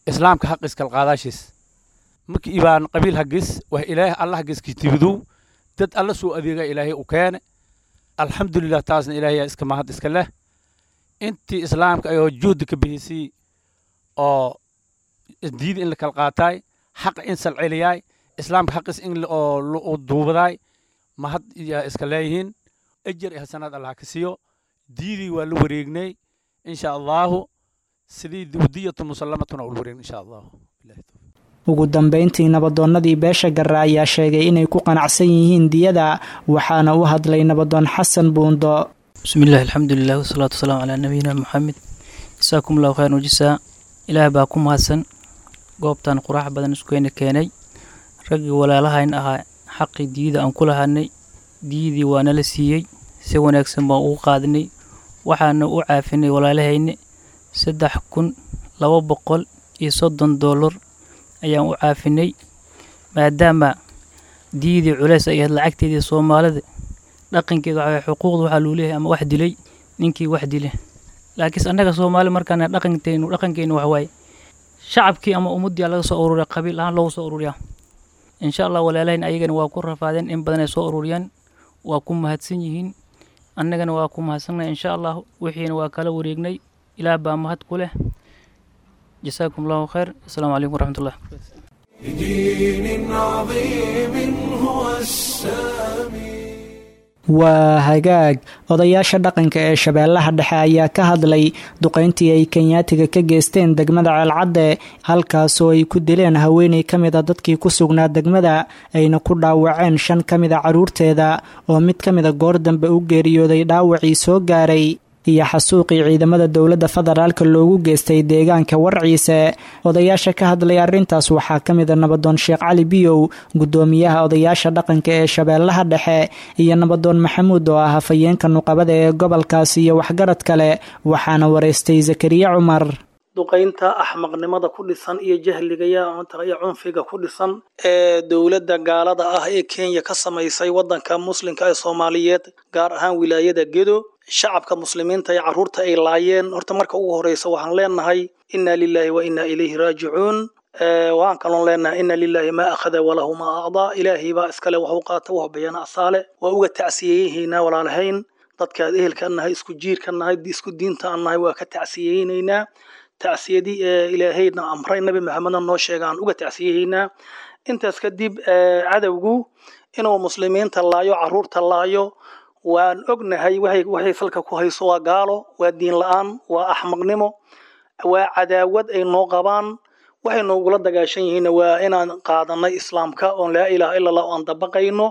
islaamka xaq iskal qaadaashiis. Markii ibaan qabiil haggis wax Ilaahay alla haggis kitibidow, dad alla soo adeega Ilaahay u keene, alxamdulilah. Taasna Ilaahay iska mahad iska leh. Intii islaamka ayoo juhdi ka bixisay oo diida in la kala qaataay, xaqa in salceliyaay, islaamka xaqis in oo duubadaay, mahad yaa iska leeyihiin, ajar iyo hasanaad Allah ka siiyo. Diidii waa la wareegnay insha Allahu, sidii diyatu musallamatuna ula wareegnay insha Allahu. Ugu dambeyntii nabadoonnadii beesha Garre ayaa sheegay inay ku qanacsan yihiin diyada, waxaana u hadlay nabadoon Xasan Buundo. Bismi illahi, alxamdulilah, wasalaatu wasalaamu calaa nabiyina Maxamed. Jasaakum allahu khayran wajisaa. Ilaah baa ku mahadsan goobtan quraax badan iskukeena keenay. Raggii walaalahayn ahaa xaqii diyada aan ku lahanay, diyadii waa nala siiyey, si wanaagsan baan ugu qaadnay. Waxaana u caafinay walaalahayni $3,230 ayaan u caafinay, maadaama diyadii culeys ay ahayd lacagteedii. Soomaalida dhaqankeeda waxaa xuquuqda waxaa luu leeyahay ama wax dilay ninkii wax dile, laakiinse annaga Soomaali markaan dhaqankeenu wax waaye shacabkii ama ummaddii laga soo ururiya, qabiil ahaan loogu soo ururiyaa. Insha Allah walaalahayn ayagana waa ku rafaadeen, in badan ay soo ururiyaan, waa ku mahadsan yihiin, annagana waa ku mahadsannahay. Insha Allah wixiina waa kala wareegnay, Ilaah baa mahad ku leh. Jasaakum allahu khayr. Asalaamu calaykum waraxmatullah. لدين عظيم هو السامي. Waa hagaag. Odayaasha dhaqanka ee Shabeellaha Dhexe ayaa ka hadlay duqayntii ay Kenyaatiga ka geysteen degmada Ceelcadde, halkaasoo ay ku dileen haweeney ka mid a dadkii ku sugnaa degmada, ayna ku dhaawaceen 5 ka mid a carruurteeda oo mid ka mid a goor dambe u geeriyooday dhaawacii soo gaaray, iyo xasuuqii ciidamada dowladda federaalka loogu geystay deegaanka Warciise. Odayaasha ka hadlay arrintaas waxaa ka mid a Nabadoon Sheekh Cali Biyow, guddoomiyaha odayaasha dhaqanka ee Shabeellaha Dhexe, iyo Nabadoon Maxamuud oo ah hafayeenka nuqabada ee gobolkaas, iyo waxgarad kale. Waxaana wareystay Zakariya Cumar. Duqaynta axmaqnimada ku dhisan iyo jahliga iyo cunfiga ku dhisan ee dowladda gaalada ah ee Kenya ka samaysay waddanka muslimka ee Soomaaliyeed, gaar ahaan wilaayada Gedo, shacabka muslimiinta ee carruurta ay laayeen, horta marka ugu horeysa waxaan leenahay inna lillahi wa inna ilayhi raajicuun. Waxaan kaloon leenahay inna lillahi maa akhada walahu maa acdaa. Ilaahay baa iskale waxu qaata, wax bixiyana asaale. Waa uga tacsiyeeyihiinaa walaalahayn, dadka ehelka nahay, isku jiirka nahay, isku diinta aan nahay, waa ka tacsiyeynaynaa. Tacsiyadii ee ilaahayna amray, Nabi Maxamedna noo sheega, aan uga tacsiyeynaa. Intaas kadib, cadowgu inuu muslimiinta laayo, carruurta laayo, waan ognahay. Waxay salka ku hayso waa gaalo, waa diin la-aan, waa axmaqnimo, waa cadaawad ay noo qabaan. Waxay noogula dagaashan yihiinna waa inaan qaadanay islaamka oon laa ilaaha illa Allah oon dabaqayno.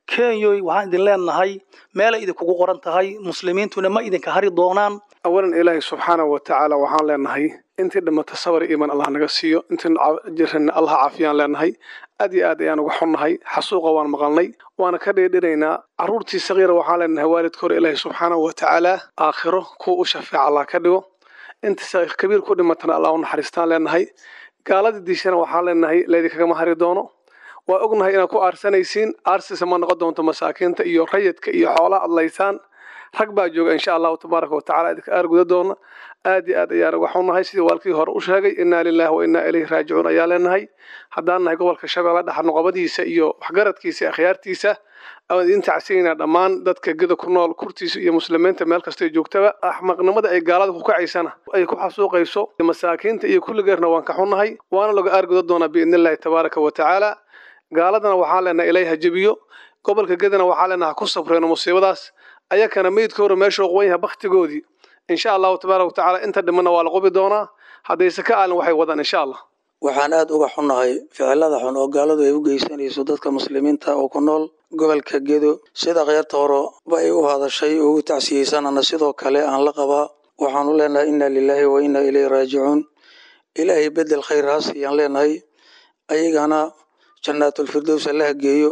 Kenyoy, waxaan idin leenahay meelay idinkugu qoran tahay, muslimiintuna ma idinka hari doonaan. Awalan, Ilaahay subxaanahu wa tacaala waxaan leenahay intii dhimata sabar iiman Allah naga siiyo, intii jirana Allah caafiyaan leenahay. Aad iyo aad ayaan uga xunnahay xasuuqa, waan maqalnay, waana ka dheedhinaynaa. Carruurtii saqiira waxaan leenahay waalidka hore Ilaahay subxaanahu wa tacaala aakhiro kuwa u shafeeca Allah ka dhigo. Inta kabiir ku dhimatana Allah u naxariistaan leenahay. Gaaladii diishana waxaan leenahay laydinkagama hari doono. Waa ognahay inaad ku aarsanaysiin, aarsisa ma noqon doonto. Masaakiinta iyo rayidka iyo xoolaha adlaysaan, rag baa jooga, insha Allahu tabaaraka wa tacala idinka aarguda doona. Aad iyo aad ayaan uga xunnahay sidii waalkii hore u sheegay. Innaa lillahi wa innaa ilayhi raajicuun ayaa leenahay. Haddaan nahay gobolka Shabeelle Dhexe noqobadiisa iyo waxgaradkiisa iyo akhyaartiisa, aan idin tacsiinaynaa dhammaan dadka Geda ku nool kurtiisa iyo muslimiinta meel kastay joogtaba. Axmaqnimada ay gaalada ku kacaysana ay ku xasuuqayso masaakiinta iyo kulligeerna waan ka xunnahay, waana laga aarguda doonaa biidnillahi tabaaraka wa tacaala. Gaaladana waxaan leenahay Ilaahay ha jebiyo. Gobolka Gedana waxaan leenahay ha ku sabreeno musiibadaas, ayakana meydkooda meeshuu qowan yahay baktigoodii, insha Allahu tabaaraka wa tacaala. Inta dhimanna waa la qubi doonaa haddayse ka aalin waxay wadaan, insha Allah. Waxaan aad uga xunnahay ficilada xun oo gaaladu ay u geysanayso dadka muslimiinta oo ku nool gobolka Gedo. Sida kheyrta hore ba ay u hadashay oo u tacsiyeysanana, sidoo kale aan la qabaa. Waxaanu leenahay inna lilaahi wa inna ilayhi raajicuun. Ilaahay bedel khayr ha siiyaan leenahay, ayagana jannaatulfirdows allaha geeyo.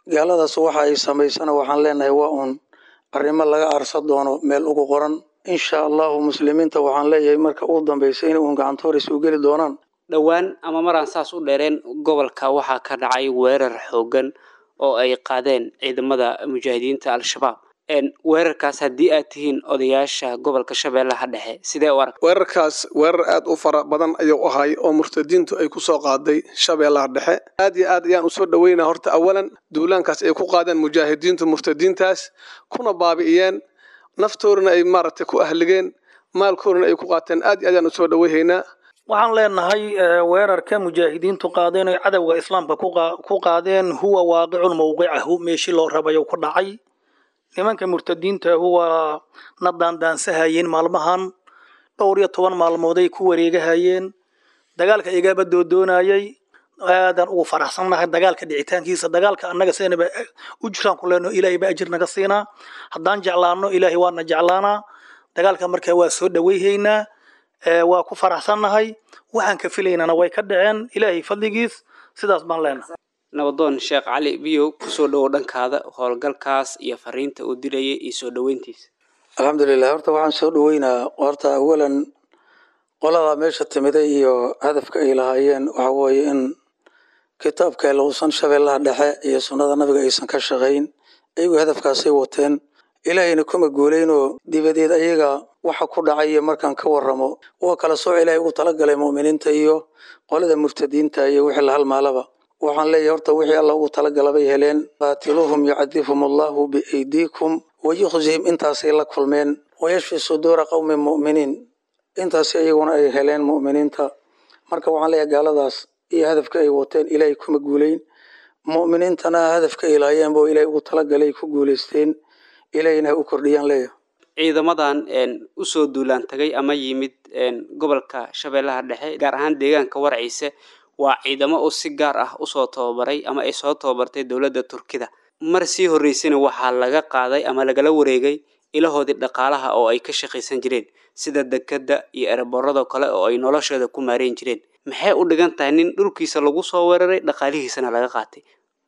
Gaaladaas waxa ay samaysana waxaan leenahay waa uun arrimo laga aarsa doono, meel ugu qoran, insha Allahu. Muslimiinta waxaan leeyahay marka ugu dambaysa inay uun gacantoor isu geli doonaan. Dhowaan ama maraan saas u dheereen, gobolka waxaa ka dhacay weerar xooggan oo ay qaadeen ciidamada mujaahidiinta Al-Shabaab. Weerarkaas haddii aad tihiin odayaasha gobolka Shabeellaha Dhexe, sidee u arag? Weerarkaas weerar aad u fara badan ayuu ahay oo murtadiintu ay ku soo qaaday Shabeellaha Dhexe. Aad iyo aad ayaan usoo dhoweynaa horta awalan duulaankaas ay ku qaadeen mujaahidiintu murtadiintaas, kuna baabi'iyeen naftoodana, ay maaragtay ku ahligeen, maalkoodana ay ku qaateen. Aad iyo aad ayaan usoo dhoweyhaynaa. Waxaan leenahay weerarka mujaahidiintu qaadeen oy cadowga islaamka ku qaadeen huwa waaqicun mowqicahu, meeshii loo rabayo ku dhacay. Nimanka murtadiinta huwa na daandaansahayeen maalmahan, dhowr iyo toban maalmooday ku wareegahayeen, dagaalka igaaba doodoonayay. Aadaan ugu faraxsannahay dagaalka dhicitaankiisa. Dagaalka annaga sidanaba ujraan ku leenaho, Ilaahay ba ajir naga siinaa. Haddaan jeclaano, Ilaahay waana jeclaanaa. Dagaalka marka waa soo dhaweyhaynaa, waa ku faraxsannahay. Waxaan ka filaynana way ka dhaceen, Ilaahay fadligiis, sidaas baan leenahay. Nabadoon Sheekh Cali Biyow, kusoo dhowow dhankaada howlgalkaas iyo fariinta uu dilayay iyo soo dhoweyntiisa. Alxamdulilah, horta waxaan soo dhoweynaa horta awalan qoladaa meesha timiday iyo hadafka ay lahaayeen. Waxa weeye in kitaabka lausan Shabeellaha Dhexe iyo sunnada nabiga aysan ka shaqayn. Ayagu hadafkaasay wateen, Ilaahayna kuma guulaynoo dibadeed ayaga waxa ku dhacay. Markaan ka warramo, waa kala sooc Ilaahay ugu talagalay mu'miniinta iyo qolada murtadiinta iyo wixii la halmaalaba. Waxaan leeyahay horta wixii Alla ugu talagala bay heleen. Qaatiluuhum yucadibhum Allahu biaydiikum wayukhzihim, intaasay la kulmeen. Wayashfi suduura qowmin mu'miniin, intaasi iyaguna ay heleen mu'miniinta. Marka waxaan leeyahay gaaladaas iyo hadafka ay wateen Ilaahay kuma guulayn, mu'miniintana hadafka ay lahaayeen buu Ilaahay ugu talagalay, ku guulaysteen. Ilaahayna ha u kordhiyaan leeyahay. Ciidamadan usoo duulaan tagay ama yimid gobolka Shabeellaha Dhexe, gaar ahaan deegaanka Warciise, waa ciidamo oo si gaar ah usoo tababaray ama ay soo tababartay dowladda Turkida. Mar sii horreysayna waxaa laga qaaday ama lagala wareegay ilahoodii dhaqaalaha oo ay ka shaqaysan jireen, sida dekadda iyo ereborada kale oo ay noloshooda ku maareyn jireen. Maxay u dhigan tahay nin dhulkiisa lagu soo weeraray, dhaqaalihiisana laga qaatay?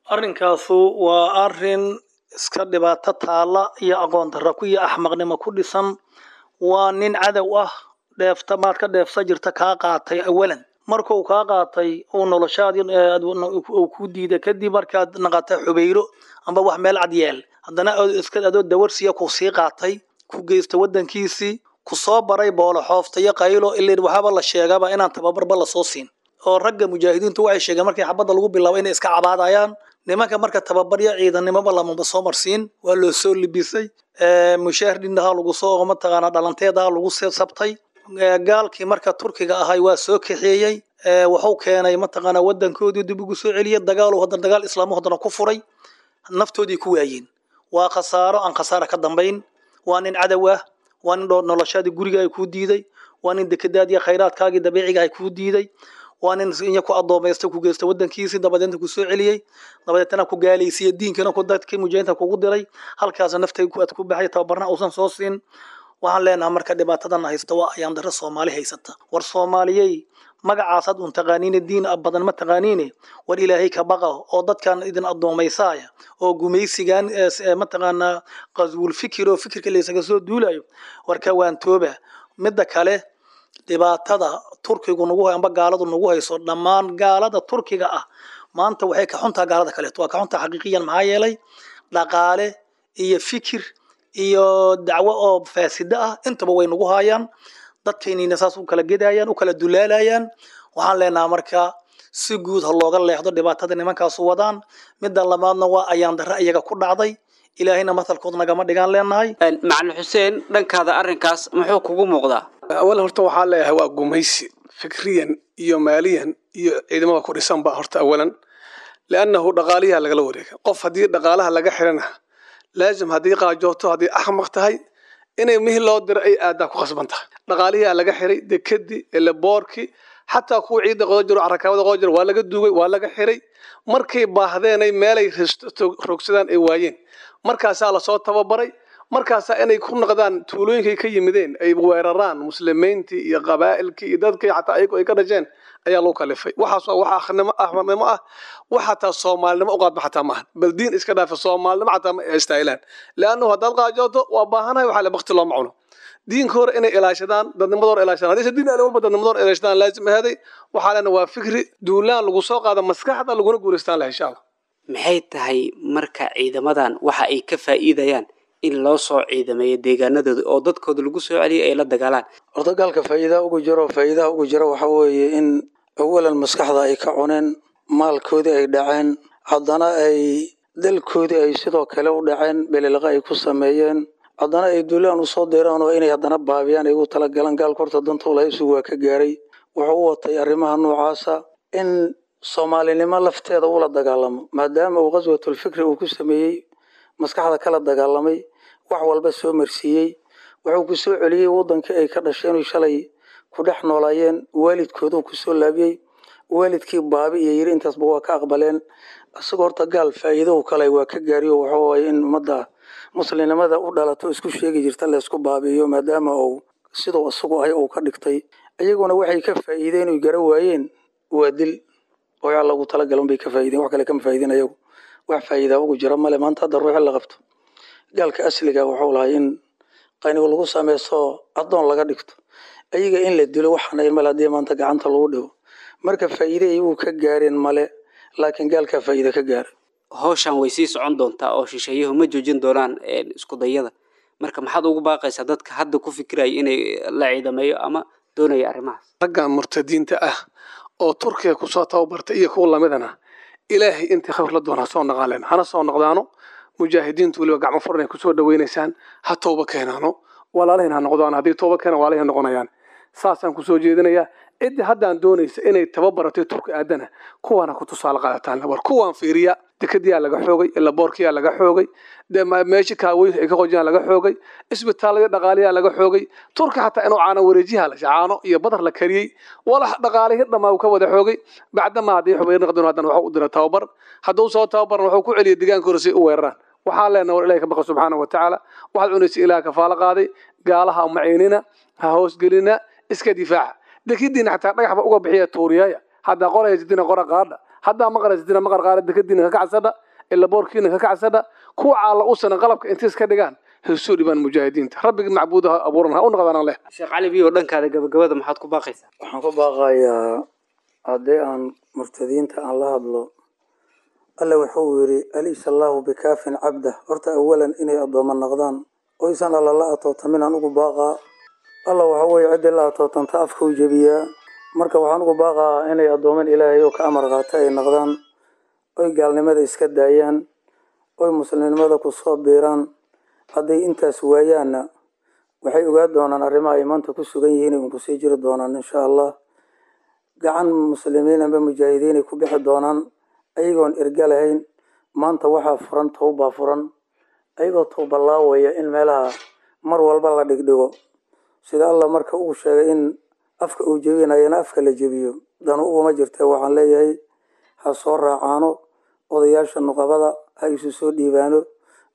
Arrinkaasu waa arrin iska dhibaato taala iyo aqoon darro ku iyo axmaqnimo ku dhisan. Waa nin cadow ah, dheefta maad ka dheefsa jirta kaa qaatay. Awalan markuu kaa qaatay uu noloshaadii uu ku diiday, kadib markaad naqatay xubeyro amba wax meel cad yeel, haddana iska adoo dawarsiya ku sii qaatay, ku geysta waddankiisii, ku soo baray boolo xoofta iyo qaylo. Ileen waxaaba la sheegaba inaan tababarba lasoo siin, oo ragga mujaahidiintu waxay sheegeen markii xabadda lagu bilaabo inay iska cabaadayaan nimanka. Marka tababaryo ciidannimoba lamaba soo marsiin, waa loo soo libisay, mushaahar dhindaha lagu soo mataqaanaa dhalanteedaha lagu sabtay. Gaalkii marka Turkiga ahay waa soo kaxeeyey, wuxuu keenay mataqaanaa waddankoodii dib ugu soo celiyey. Dagaal haddana dagaal islaamu haddana ku furay, naftoodii ku waayeen. Waa khasaaro aan khasaara ka dambayn. Waa nin cadow ah, waa nin noloshaadii guriga ay kuu diiday, waa nin dekedaadii khayraadkaagii dabiiciga ay kuu diiday, waa nin inya ku addoomaystay, ku geysta waddankiisii, dabadeedna ku soo celiyey, dabadeetana ku gaalaysiiyey, diinkana ku dadkii mujahidiinta kugu diray, halkaasna naftay aad ku baxay, tababarna uusan soo siin. Waxaan leenahay marka dhibaatadan haysta waa ayaan darro Soomaali haysata. War Soomaaliyey, magacaasaad un taqaaniine, diin badan ma taqaaniine. War Ilaahay ka baqa oo dadkan idin addoomaysaaya oo gumaysigan mataqaanaa qaswul fikir oo fikirka laysaga soo duulayo, warka waan tooba. Midda kale, dhibaatada Turkigu nagu amba gaaladu nagu hayso, dhammaan gaalada Turkiga ah maanta waxay ka xuntaa gaalada kaleeto, waa ka xuntaa xaqiiqiyan. Maxaa yeelay dhaqaale iyo fikir iyo dacwo oo faasida ah intaba way nagu haayaan, dadkaynina saas u kala gedayaan, u kala dulaalayaan. Waxaan leenahay marka si guud ha looga leexdo dhibaatada nimankaasu wadaan. Midda labaadna waa ayaan darre iyaga ku dhacday, Ilaahayna matalkood nagama dhigaan leenahay. Macalin Xuseen, dhankaada arrinkaas muxuu kugu muuqdaa? Awal horta waxaa leeyahay waa gumaysi fikriyan iyo maaliyan iyo ciidamada ku dhisan ba horta awalan, liannahu dhaqaaliyaha lagala wareega. Qof haddii dhaqaalaha laga xirana, laazim haddii qaajooto, haddii axmaq tahay, inay mihi loo diro ay aadaa ku khasban tahay. Dhaqaalihiyaa laga xiray, dekadii, eleboorkii, xataa kuwa ciidda qodo jiro, carakaabada qodo jiro, waa laga duugay, waa laga xiray. Markay baahdeenay meelay rogsadaan ay waayeen, markaasaa lasoo tababaray, markaasaa inay ku noqdaan tuulooyinkay ka yimideen, ay weeraraan muslimiintii iyo qabaa'ilkii iyo dadkii xataa ayagu ay ka dhasheen ayaa lagu kalifay. Waxaas waa wax axmaqnimo ah, wax xataa soomaalinimo u qaadma xataa maahan. Bal diin iska dhaafa, soomaalinimo xataa ma istaahilaan, leannahu haddaad qaajooto waa baahanahay, waxaa le bakti looma cuno. Diinka hore inay ilaashadaan, dadnimada hore ilaashadaan, haddayse diin alle walba dadnimada hore ilaashadaan laazim ahaday. Waxaa lena waa fikri duulaan lagu soo qaada maskaxda, laguna guulaystaan leh insha Allah. Maxay tahay marka ciidamadan waxa ay ka faa'iidayaan in loo soo ciidameeyo deegaanadooda oo dadkooda lagu soo celiyay ay la dagaalaan? Horta gaalka faa'iidaha ugu jiro, faa'iidaha ugu jiro waxaa weeye in awalan maskaxda ay ka cuneen, maalkoodii ay dhaceen, haddana ay dalkoodii ay sidoo kale u dhaceen, belelaqa ay ku sameeyeen, haddana ay duulaan usoo diraan oo inay haddana baabiyaan ay ugu talagalaan. Gaalka horta danta ulahaysu waa ka gaaray. Wuxuu u watay arrimaha noocaasa in soomaalinimo lafteeda ula dagaalamo, maadaama uu qaswatulfikri uu ku sameeyey, maskaxda kala dagaalamay, wax walba soo marsiiyey. Wuxuu ku soo celiyey waddankii ay ka dhasheen oy shalay ku dhex noolaayeen, waalidkooduu ku soo laabiyey, waalidkii baabi iyo yiri intaasba waa ka aqbaleen. Isagoo horta gaal faa'iido kale waa ka gaariyo, wuxuu waaye in ummadda muslimnimada u dhalato isku sheegi jirta laysku baabi'iyo, maadaama uu siduu isagu ahay uu ka dhigtay. Iyaguna waxay ka faa'iideen oy gara waayeen waa dil oo yaa lagu talagalan bay ka faa'iideen, wax kale kama faa'iideen ayagu. Wax faa'iidaa ugu jira male. Maanta hadda ruuxi la qabto, gaalka asliga wuxuu lahay in qanigu lagu sameysto, addoon laga dhigto, ayaga in la dilo waxaan ahayn male haddii maanta gacanta lagu dhigo. Marka faa'iide iyagu ka gaareen male, laakiin gaalkaa faa'iide ka gaaray. Hawshan way sii socon doontaa oo shisheeyuhu ma joojin doonaan isku dayada. Marka maxaad ugu baaqaysaa dadka hadda ku fikiraya inay la ciidameeyo ama doonaya arrimahaas? Raggan murtadiinta ah oo Turkiga kusoo tababartay iyo kuwa lamidana, Ilaahay intii khayr la doona ha soo naqaaleen, hana soo noqdaano. Mujaahidiintu weliba gacmo furan ay kusoo dhaweynaysaan, ha tooba keenaano, walaalihin ha noqdaan. Haddii tooba keenaan, walaalihin noqonayaan. Saasaan kusoo jeedinayaa. Ciddii haddaan doonaysa inay tababaratay Turki aadana, kuwaana ku tusaale qaadataan, war kuwaan fiiriya. Dekadiyaa laga xoogay, ilaboorkiyaa laga xoogay, meesha kaaweyn ay ka qojiyaan laga xoogay, isbitaalada dhaqaaliyaa laga xoogay. Turka xataa inuu caano wareejiha la caano iyo badar la kariyey, walax dhaqaalihii dhammaa uu ka wada xoogay. Bacdama haddii xubayr naqdino, haddana waxuu u dira tababar. Hadduu soo tababarna, wuxuu ku celiyay deegaanka hore si u weeraraan. Waxaan leenahay, war Ilahay ka baqa subxaana wa tacaala. Waxaad cunaysa Ilaah kafaalo qaaday. Gaalaha maciinina, ha hoosgelina, iska difaaca. Dekadiina xataa dhagax ba uga bixiya tuuriyaya. Haddaa qoraysatina qora qaadha, haddaa maqraysatina maqar qaadha. Dekadiina ka kacsadha, ilaboorkiina ka kacsadha. Kuwa caalla u sanan qalabka intay iska dhigaan haysoo dhibaan mujaahidiinta. Rabbiga macbuudaha abuuran ha u noqdaan leh. Sheekh Cali Biyo, dhankaada gabagabada maxaad ku baaqaysaa? Waxaan ku baaqayaa, haddii aan murtadiinta aan la hadlo, Alle wuxuu yidhi: "Alaysa Allaahu bikaafin cabdah." Horta awalan inay addoommo noqdaan oysan Alla la atootaminaan ugu baaqaa. Alla waxa weeye ciddii la atootanta afka u jebiyaa. Marka waxaan ugu baaqaa inay addooman Ilaahay oo ka amar qaata ay noqdaan, oy gaalnimada iska daayaan, oy muslimnimada ku soo biiraan. Hadday intaas waayaanna, waxay ogaa doonaan arrimaha ay maanta ku sugan yihiin un kusii jiri doonaan insha Allah. Gacan muslimiin amba mujaahidiin ay ku bixi doonaan ayagoon erga lahayn. Maanta waxaa furan towbaa furan, ayagoo towba laawaya in meelaha mar walba la dhigdhigo, sida Allah marka uu sheegay in afka uu jebinayana afka la jebiyo danu uguma jirta. Waxaan leeyahay ha soo raacaano odayaasha nuqabada, ha isu soo dhiibaano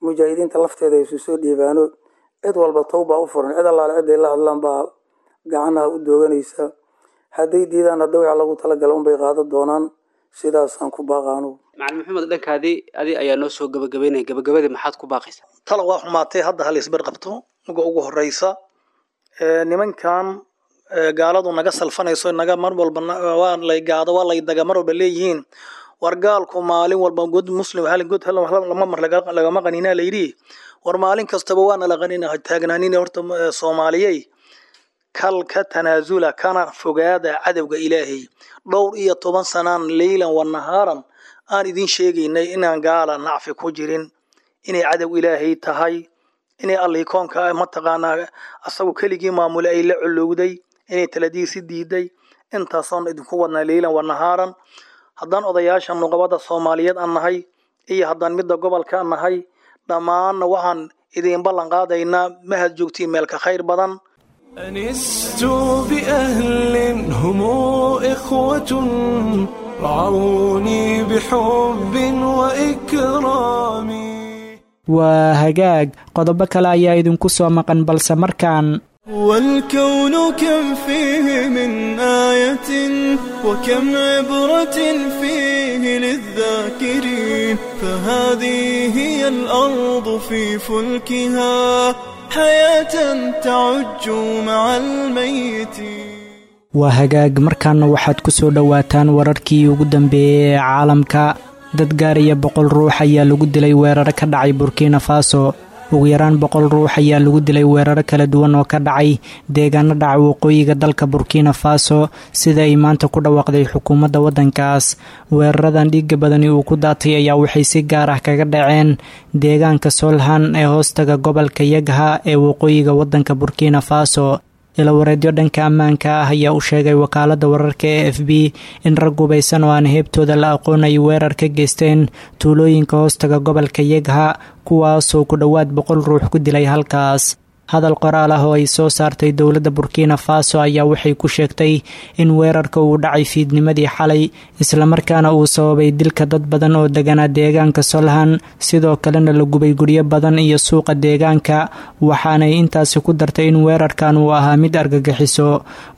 mujaahidiinta lafteeda, ha isu soo dhiibaano. Cid walba towbaa u furan, cid allaale ciday la hadlaan baa gacanaha u dooganaysa. Hadday diidaan, hadda waxa lagu talagala unbay qaadan doonaan. Sidaasaan ku baaqaanu. Macalin Maxamed, dhankaadii adi ayaa noo soo gabagabeynaya. Gabagabadii maxaad ku baaqaysaa? Tala waa xumaatay, hadda hal isbar qabto. Uga ugu horeysa, nimankan gaaladu naga salfanayso, naga mar walba waa lay gaado, waa lay daga mar walba leeyihiin. War gaalku maalin walba god muslim hal god lama mar lagama qaninaa layidhi. War maalin kastaba waana la qanina taagnaanina. Horta Soomaaliyey, kal ka tanaasula kana fogaada cadowga Ilaahay. Dhowr iyo toban sanaan leylan wa nahaaran aan idin sheegaynay inaan gaala nacfi ku jirin, inay cadow Ilaahay tahay, inay Allihii koonka mataqaanaa asagu keligii maamule ay la colowday, inay taladiisi diiday. Intaasoon idinku wadnaa leylan wa nahaaran. Haddaan odayaasha nuqabada Soomaaliyeed aan nahay iyo haddaan midda gobolka aan nahay, dhammaanna waxaan idin ballan qaadaynaa mahad joogtiin meelka khayr badan. أنست بأهل هم إخوة، رعوني بحب وإكرام. Waa hagaag, qodobo kale ayaa idinku soo maqan, balse markaan والكون كم فيه من آية، وكم عبرة فيه للذاكرين، فهذه هي الأرض في فلكها حياة تعج مع الميتين. Waa hagaag, markaana waxaad ku soo dhowaataan wararkii ugu dambeeyey ee caalamka. Dad gaaraya 100 ruux ayaa lagu dilay weeraro ka dhacay Burkina Faso. Ugu yaraan 100 ruux ayaa lagu dilay weeraro kala duwan oo ka dhacay deegaano dhaca waqooyiga dalka Burkina Faso, sida ay maanta ku dhawaaqday xukuumadda waddankaas. Weeraradan dhiiga badani uu ku daatay ayaa waxay si gaar ah kaga dhaceen deegaanka Solhan ee hoostaga gobolka Yagha ee waqooyiga waddanka Burkina Faso. Ilawareedyo dhanka ammaanka ah ayaa u sheegay wakaaladda wararka ee AFP in rag hubaysan oo aan heebtooda la aqoon ay weerar ka geysteen tuulooyinka hoostaga gobolka Yegha, kuwaasoo ku dhowaad 100 ruux ku dilay halkaas. Hadal qoraal ah oo ay soo saartay dowladda Burkina Faso ayaa waxay ku sheegtay in weerarka uu dhacay fiidnimadii xalay, islamarkaana uu sababay dilka dad badan oo deganaa deegaanka Solhan, sidoo kalena la gubay guryo badan iyo suuqa deegaanka. Waxaanay intaasi ku dartay in weerarkan uu ahaa mid argagixiso.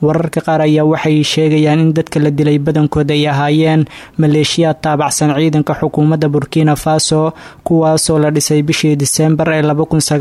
Wararka qaar ayaa waxay sheegayaan in dadka la dilay badankood ay ahaayeen maleeshiyaad taabacsan ciidanka xukuumadda Burkina Faso, kuwaasoo la dhisay bishii Diseembar ee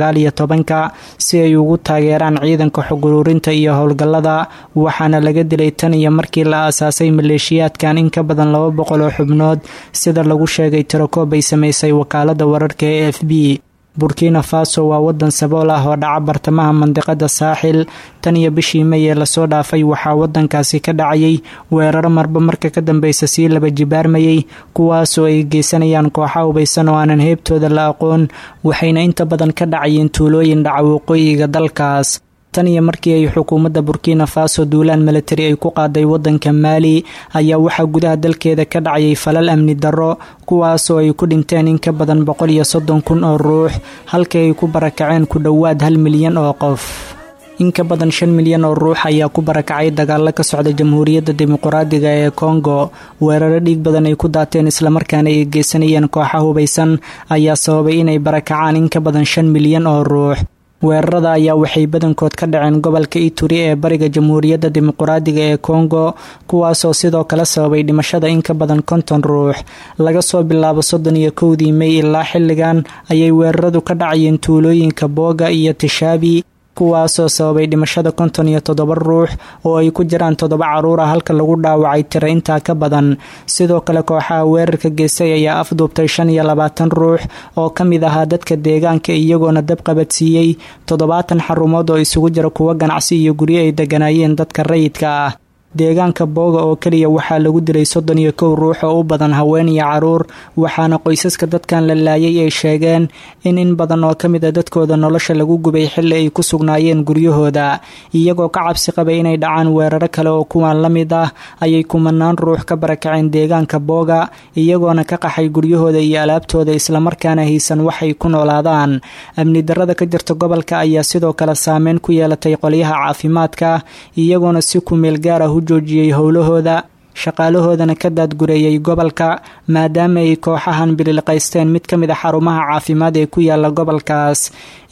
2019-ka si ay ugu taageeraan ciidanka xog ururinta iyo howlgallada. Waxaana laga dilay tan iyo markii la aasaasay maleeshiyaadkan in ka badan 200 oo xubnood, sida lagu sheegay tirakoob ay samaysay wakaalada wararka ee AFP. Burkina Faso waa wadan sabool ah oo dhaca bartamaha mandiqada Saaxil. Tan iyo bishii May ee lasoo dhaafay waxaa wadankaasi ka dhacayay weeraro marba marka ka dambeysa sii laba jibaarmayay, kuwaasoo ay geysanayaan kooxa hubaysan oo aanan heebtooda la aqoon, waxayna inta badan ka dhacayeen tuulooyin dhaca waqooyiga dalkaas. Tan iyo markii ay xukuumadda Burkina Faso duulaan milatari ay ku qaaday waddanka Maali ayaa waxaa gudaha dalkeeda ka dhacayay falal amni darro, kuwaasoo ay ku dhinteen in ka badan 130,000 oo ruux, halkii ay ku barakaceen ku dhowaad 1 milyan oo qof. In ka badan 5 milyan oo ruux ayaa ku barakacay dagaalo ka socda Jamhuuriyadda Dimuqraadiga ee Kongo. Weeraro dhiig badan ay ku daateen islamarkaana ay geysanayeen kooxa hubaysan ayaa sababay inay barakacaan in ka badan 5 milyan oo ruux. Weerarada ayaa waxay badankood ka dhaceen gobolka Ituri ee bariga Jamhuuriyadda Dimuqraadiga ee Kongo, kuwaasoo sidoo kale sababay dhimashada in ka badan 50 ruux. Laga soo bilaabo 31-dii Mey ilaa xilligan ayay weeraradu ka dhacayeen tuulooyinka Booga iyo Tishaabi, kuwaasoo sababay dhimashada 57 ruux oo ay ku jiraan 7 caruur ah, halka lagu dhaawacay tiro intaa ka badan. Sidoo kale kooxaha weerarka geystay ayaa afduubtay 25 ruux oo ka mid ahaa dadka deegaanka, iyagoona dab qabadsiiyey 70 xarumood oo isugu jira kuwo ganacsi iyo guryo ay deganaayeen dadka rayidka ah. Deegaanka Booga oo keliya waxaa lagu dilay 31 ruux oo u badan haween iyo caruur, waxaana qoysaska dadkan la laayay ay sheegeen in badan oo ka mid a dadkooda nolosha lagu gubay xilli ay ku sugnaayeen guryahooda. Iyagoo ka cabsi qabay inay dhacaan weeraro kale oo kuwan la mid ah ayay kumanaan ruux ka barakaceen deegaanka Booga, iyagoona ka qaxay guryahooda iyo alaabtooda, islamarkaana haysan waxay ku noolaadaan. Amni darrada ka jirta gobolka ayaa sidoo kale saameyn ku yeelatay qolyaha caafimaadka, iyagoona si ku meel gaar ah joojiyey howlahooda, shaqaalahoodana ka daadgureeyay gobolka, maadaama ay kooxahan bililqaysteen mid ka mid a xarumaha caafimaad ee ku yaala gobolkaas.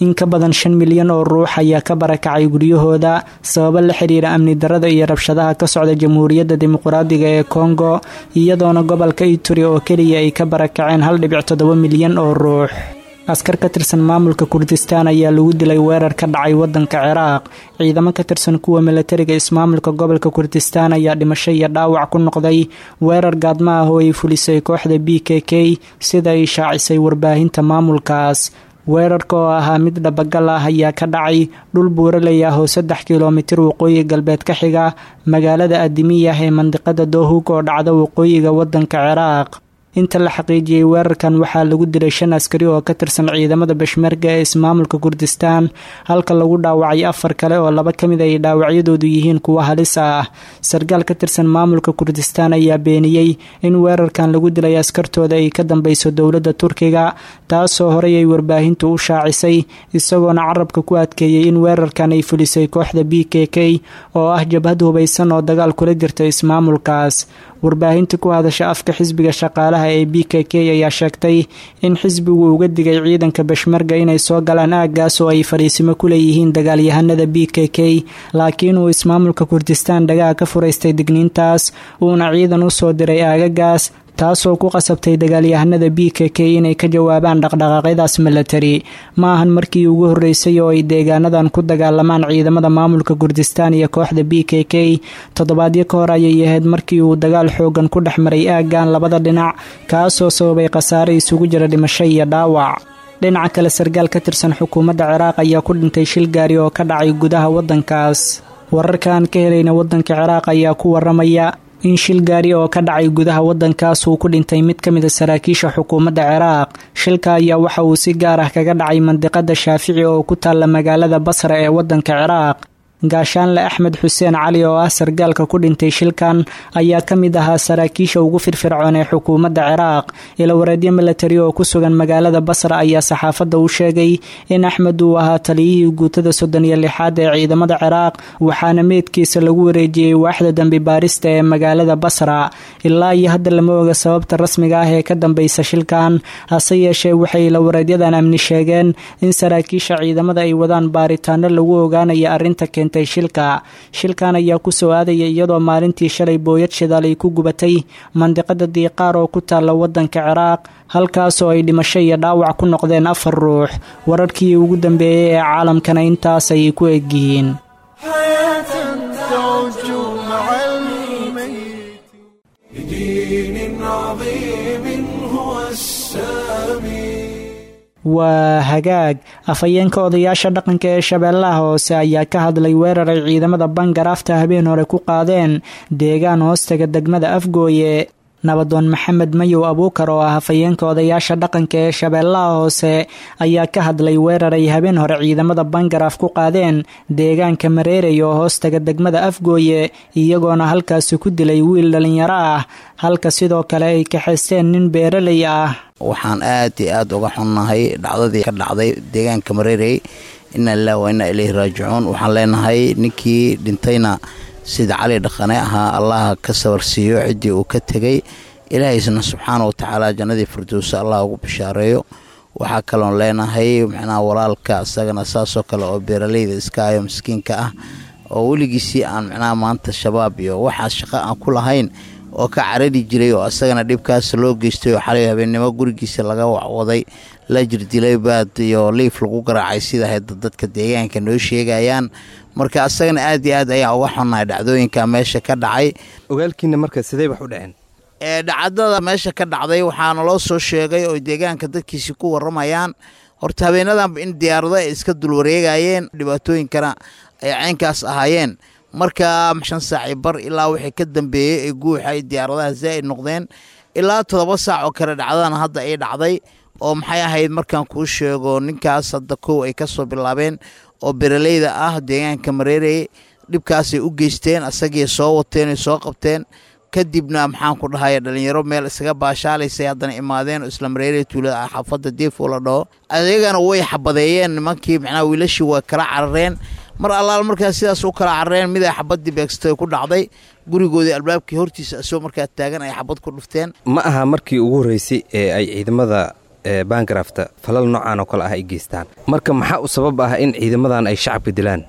In ka badan 5 milyan oo ruux ayaa ka barakacay guryahooda sababo la xiriira amni darrada iyo rabshadaha ka socda Jamhuuriyadda Dimuqraadiga ee Kongo, iyadoona gobolka Ituri oo keliya ay ka barakaceen 1.7 milyan oo ruux. Askar ka tirsan maamulka Kurdistaan ayaa lagu dilay weerar ka dhacay wadanka Ciraaq. Ciidamo ka tirsan kuwa milatariga ismaamulka gobolka Kurdistaan ayaa dhimasho iyo dhaawac ku noqday weerar gaadma ah oo ay fulisay kooxda BKK, sida ay shaacisay warbaahinta maamulkaas. Weerarka oo ahaa mid dhabagal ah ayaa ka dhacay dhul buuraley ah oo 3 kilomitir waqooyi galbeed ka xiga magaalada Adimiyah ee mandiqada Dohug oo dhacda waqooyiga wadanka Ciraaq. Inta la xaqiijiyey, weerarkan waxaa lagu dilay shan askari oo ka tirsan ciidamada Beshmerga ee ismaamulka Kurdistaan, halka lagu dhaawacay afar kale oo laba ka mid ay dhaawacyadoodu yihiin kuwo halis ah. Sarkaal ka tirsan maamulka Kurdistaan ayaa beeniyey in weerarkan lagu dilay askartooda ay ka dambeyso dowladda Turkiga, taasoo horey ay warbaahintu u shaacisay, isagoona carabka ku adkeeyey in weerarkan ay fulisay kooxda BKK oo ah jabhad hubaysan oo dagaal kula jirta ismaamulkaas. Warbaahinta ku hadasha afka xisbiga shaqaalaha ee BKK ayaa sheegtay in xisbigu uga digay ciidanka Beshmerga inay soo galaan aaggaas oo ay fariisimo ku leeyihiin dagaalyahanada BKK, laakiin uu ismaamulka Kurdistaan dhagaha ka furaystay digniintaas, uuna ciidan u soo diray aagagaas, taasoo ku qasabtay dagaalyahanada BKK inay ka jawaabaan dhaqdhaqaaqyadaas milatari. Ma ahan markii ugu horreysay oo ay deegaanadan ku dagaalamaan ciidamada maamulka Kurdistaan iyo kooxda BKK. Toddobaadyo ka hor ayay ahayd markii uu dagaal xoogan ku dhex maray aaggan labada dhinac, kaasoo sababay khasaare isugu jira dhimasho iyo dhaawac. Dhinaca kale, sarkaal ka tirsan xukuumadda Ciraaq ayaa ku dhintay shil gaari oo ka dhacay gudaha waddankaas. Wararka aan ka helayna waddanka Ciraaq ayaa ku waramaya in shil gaari oo ka dhacay gudaha waddankaas uu ku dhintay mid ka mid a saraakiisha xukuumadda Ciraaq. Shilka ayaa waxa uu si gaar ah kaga dhacay mandiqada Shaafici oo ku taalla magaalada Basra ee waddanka Ciraaq. Gaashaanle Axmed Xuseen Cali oo ah sargaalka ku dhintay shilkan ayaa ka mid ahaa saraakiisha ugu firfircoon ee xukuumadda Ciraaq. Ilawareedyo milatari oo ku sugan magaalada Basra ayaa saxaafadda u sheegay in Axmed uu ahaa taliyihii guutada 36aad ee ciidamada Ciraaq, waxaana meydkiisa lagu wareejiyey waaxda dambi baarista ee magaalada Basra. Ilaa iyo hadda lama oga sababta rasmiga ah ee ka dambeysa shilkan, hase yeeshee waxay ilawareedyadan amni sheegeen in saraakiisha ciidamada ay wadaan baaritaano lagu ogaanayo arrinta keentay shilka. Shilkan ayaa ku soo aadaya iyadoo maalintii shalay booyad shidaal ay ku gubatay mandiqada Diiqaar oo ku taalla waddanka Ciraaq, halkaasoo ay dhimasho iyo dhaawac ku noqdeen afar ruux. Wararkii ugu dambeeyey ee caalamkana intaas ayay ku egyihiin. لدين عظيم هو السامي. Waa hagaag. Afhayeenka odayaasha dhaqanka ee Shabeellaha Hoose ayaa ka hadlay weerar ay ciidamada Bangaraafta habeen hore ku qaadeen deegaan hoostaga degmada Afgooye. Nabadoon Maxamed Mayow Abuukar oo ah hafayeenka odayaasha dhaqanka ee Shabeellaha Hoose ayaa ka hadlay weerar ay habeen hore ciidamada Bangaraaf ku qaadeen deegaanka Mareerey oo hoostaga degmada Afgooye, iyagoona halkaasi ku dilay wiil dhallinyaro ah, halka sidoo kale ay kaxaysteen nin beeraley ah. Waxaan aad iyo aad uga xunnahay dhacdadii ka dhacday deegaanka Mareerey. Inna lillahi wa inna ilayhi raajicuun. Waxaan leenahay ninkii dhintayna sida Cali Dhaqane ahaa Allaha ka sabarsiiyo ciddii uu ka tegey, Ilaahaysna subxaana wa tacaala jannadii firdowsa Allah ugu bishaareeyo. Waxaa kaloon leenahay macnaha walaalka isagana saasoo kale oo beeraleyda iska ayo miskiinka ah oo weligiisii aan macnaha maanta Shabaab iyo waxaas shaqo aan ku lahayn oo ka carari jiray oo isagana dhibkaas loo geystay oo xalay habeennimo gurigiisa laga wacwaday, la jirdilay, baad iyo liif lagu garaacay sida hadda dadka deegaanka noo sheegayaan. Marka asagana aad iyo aad ayaa uga xunnahay dhacdooyinka meesha ka dhacay. Ogaalkiina marka sidee wax u dhaceen? Dhacdada meesha ka dhacday waxaana loo soo sheegay oo deegaanka dadkiisi ku waramayaan horta habeenadanba in diyaarado ay iska dul wareegayeen, dhibaatooyinkana ay caynkaas ahaayeen. Marka 5 saaci bar ilaa wixii ka dambeeyey ay guuxa ay diyaaradaha zaa'id noqdeen ilaa 7 saac oo kale dhacdadan hadda ay dhacday oo maxay ahayd markaan kuu sheego ninkaas hadda kow ay ka soo bilaabeen oo beeraleyda ah deegaanka Mareerey dhibkaasay u geysteen, asagii soo wateen, ay soo qabteen. Kadibna maxaan ku dhahay dhalinyaro meel isaga baashaalaysay haddana imaadeen oo isla Mareerey tuulada ah xaafadda Deefo la dhaho, ayagana way xabadeeyeen nimankii, macnaha wiilashii waa kala carareen. Mar allaal markaa sidaas u kala carareen mid ay xabaddii beegsatay ku dhacday gurigoodii albaabkii hortiisa asagoo markaa taagan ay xabad ku dhufteen. Ma aha markii ugu horreysay ee ay ciidamada Bangarafta falal noocan oo kale ah ay geystaan. Marka maxaa u sabab ah in ciidamadan ay shacabka dilaan?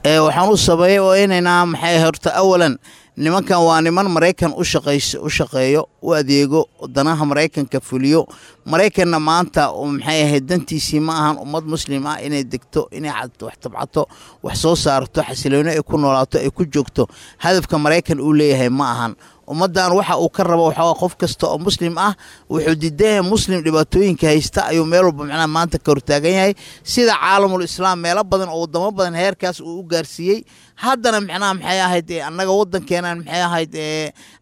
Waxaan u sabeeyey oo inaynaa maxay horta awalan nimankan waa niman Maraykan u shaqeeyo, u adeego, danaha Maraykanka fuliyo. Maraykanna maanta maxay ahayd dantiisii ma ahan ummad muslim ah inay degto, inay wax tabcato, wax soo saarto, xasilooni ay ku noolaato, ay ku joogto. Hadafka Maraykan uu leeyahay ma ahan ummaddan. Waxa uu ka rabo waxaa qof kasta oo muslim ah wuxuu diidan yahay muslim dhibaatooyinka haysta ayuu meel walba macnaha maanta ka hortaagan yahay, sida caalamul islaam meelo badan oo wadamo badan heerkaas uu u gaarsiiyey. Haddana macnaha maxay ahayd annaga waddankeenan maxay ahayd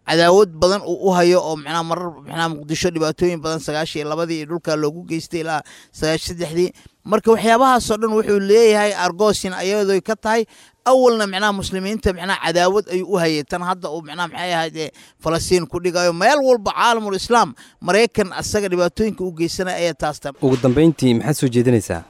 cadaawad badan uu u hayo oo macnaha marar macnaha Muqdisho dhibaatooyin badan 92-dii iyo dhulkaa loogu geystay ilaa 93-dii. Marka waxyaabahaasoo dhan wuxuu leeyahay argoosin ayadoo ka tahay. Awalna macnaha muslimiinta macnaha cadaawad ayuu u hayay, tan hadda uu macnaha maxay ahayd Falastiin ku dhigayo meel walba caalamul islaam Maraykan asaga dhibaatooyinka u geysanaya ayaa taas ta. Ugu dambeyntii maxaad soo jeedinaysaa?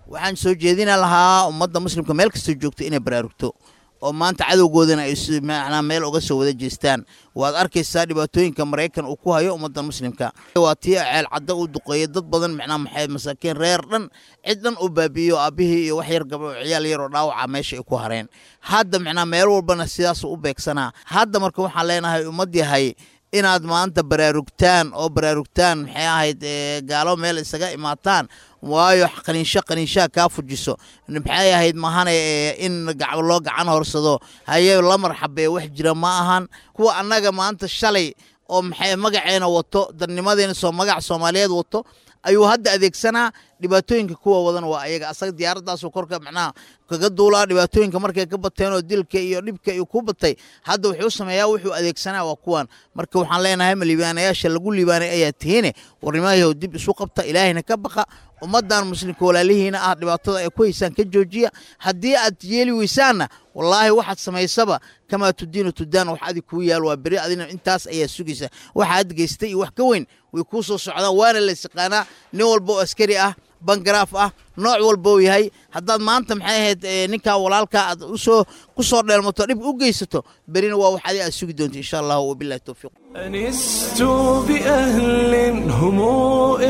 Waxaan soo jeedina lahaa ummadda muslimka meel kastoo joogto inay baraarugto oo maanta cadowgoodana ay macnaa meel uga soo wada jeestaan. Waad arkaysaa dhibaatooyinka Maraykan uu ku hayo ummadda muslimka. Waa tii ceel cadda uu duqeeyey dad badan, macnaa maxay masaakiin reer dhan cid dhan uu baabi'iyo, aabbihii iyo wax yar gabdho ciyaal yar oo dhaawaca meesha ay ku hareen. Hadda macnaa meel walbana sidaas u beegsanaa hadda. Marka waxaan leenahay ummad yahay inaad maanta baraarugtaan oo baraarugtaan maxay ahayd gaalo meel isaga imaataan, waayo qaniinsho qaniinshaha kaa fujiso maxay ahayd mahane in loo gacan horsado haye la marxabee wax jira ma ahan. Kuwa annaga maanta shalay oo maxay magaceena wato, dadnimadeena soo magac Soomaaliyeed wato ayuu hadda adeegsanaa. Dhibaatooyinka kuwa wadan waa ayaga, asaga diyaaraddaasuu korka macnaha kaga duulaa. Dhibaatooyinka markay ka bateen oo dilka iyo dhibka iyo ku batay hadda wuxuu sameeyaa wuxuu adeegsanaa waa kuwan. Marka waxaan leenahay ma liibaanayaasha lagu liibaanay ayaa tihiine, warnimayahow dib isu qabta, Ilaahayna ka baqa, ummaddan muslimka walaalihiina ah dhibaatada ay ku haysaan ka joojiya. Haddii aad yeeli weysaanna wallaahi waxaad samaysaba kamaa tudiinu tudaan, wax adig kuu yaal waa beri adina intaas ayaa sugaysa. Waxa aad geystay iyo wax ka weyn way kuu soo socdaan, waana la yaqaanaa nin walba oo askari ah, bangaraaf ah, nooc walba uu yahay. Haddaad maanta maxay ahayd ninkaa walaalkaa aad usoo ku soo dheelmato dhib u geysato, berina waa wax adi aad sugi doonto insha Allah. Wabillahi towfiiq. أنست بأهل هم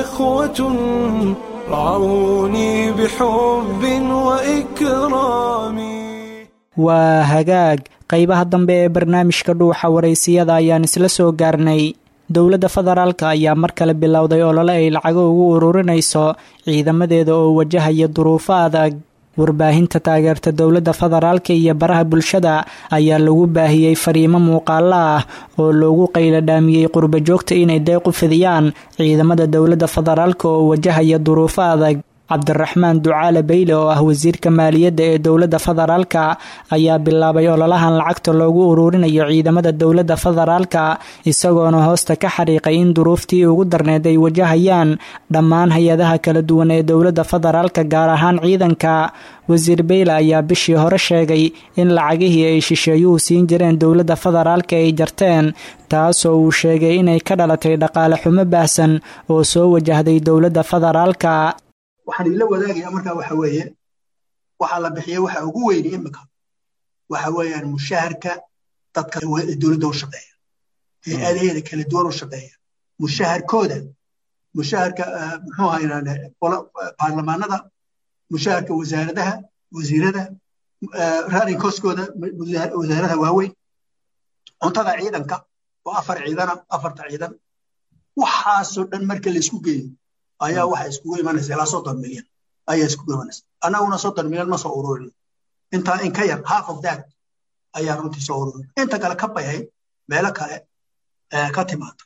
إخوة رعوني بحب وإكرام. Waa hagaag, qaybaha dambe ee barnaamijka Dhuuxa Waraysiyada ayaan isla soo gaarnay. Dowladda federaalka ayaa mar kale bilowday olole ay lacago ugu ururinayso ciidamadeeda oo wajahaya duruufo adag. Warbaahinta taageerta dowladda federaalka iyo baraha bulshada ayaa lagu baahiyey fariimo muuqaalo ah oo loogu qayladhaamiyey qurbajoogta inay deeq u fidiyaan ciidamada dowladda federaalka oo wajahaya duruufo adag. Cabdiraxmaan Ducaale Beyle oo ah wasiirka maaliyadda ee dowladda federaalka ayaa bilaabay ololahan lacagta loogu uruurinayo ciidamada dowladda federaalka, isagoona hoosta ka xariiqay in duruuftii ugu darneed ay wajahayaan dhammaan hay-adaha kala duwan ee dowladda federaalka, gaar ahaan ciidanka. Wasiir Beyle ayaa bishii hore sheegay in lacagihii ay shisheeyuhu siin jireen dowladda federaalka ay jarteen, taasoo uu sheegay inay ka dhalatay dhaqaale xumo baahsan oo soo wajahday dowladda federaalka. Waxaan idinla wadaagayaa markaa waxa weeye, waxaa la bixiyey waxa ugu weyni imika waxa weeyaan mushaharka dadka dowladda u shaqeeya, hay-adaheeda kala duwan u shaqeeya, mushaharkooda, mushaharka muxuu ahaa baarlamaanada, mushaharka wasaaradaha, wasiirada, running costkooda wasaaradaha waaweyn, cuntada ciidanka oo afar ciidana, afarta ciidan, waxaasoo dhan marka la isku geeyo ayaa waxa iskugu imanaysa ilaa 30 milyan ayaa iskugu imanaysa. Annaguna 30 milyan ma soo ururin, intaa in ka yar, half of that ayaa runtii soo ururin. Inta kale kab bay ahayd, meelo kale ka timaada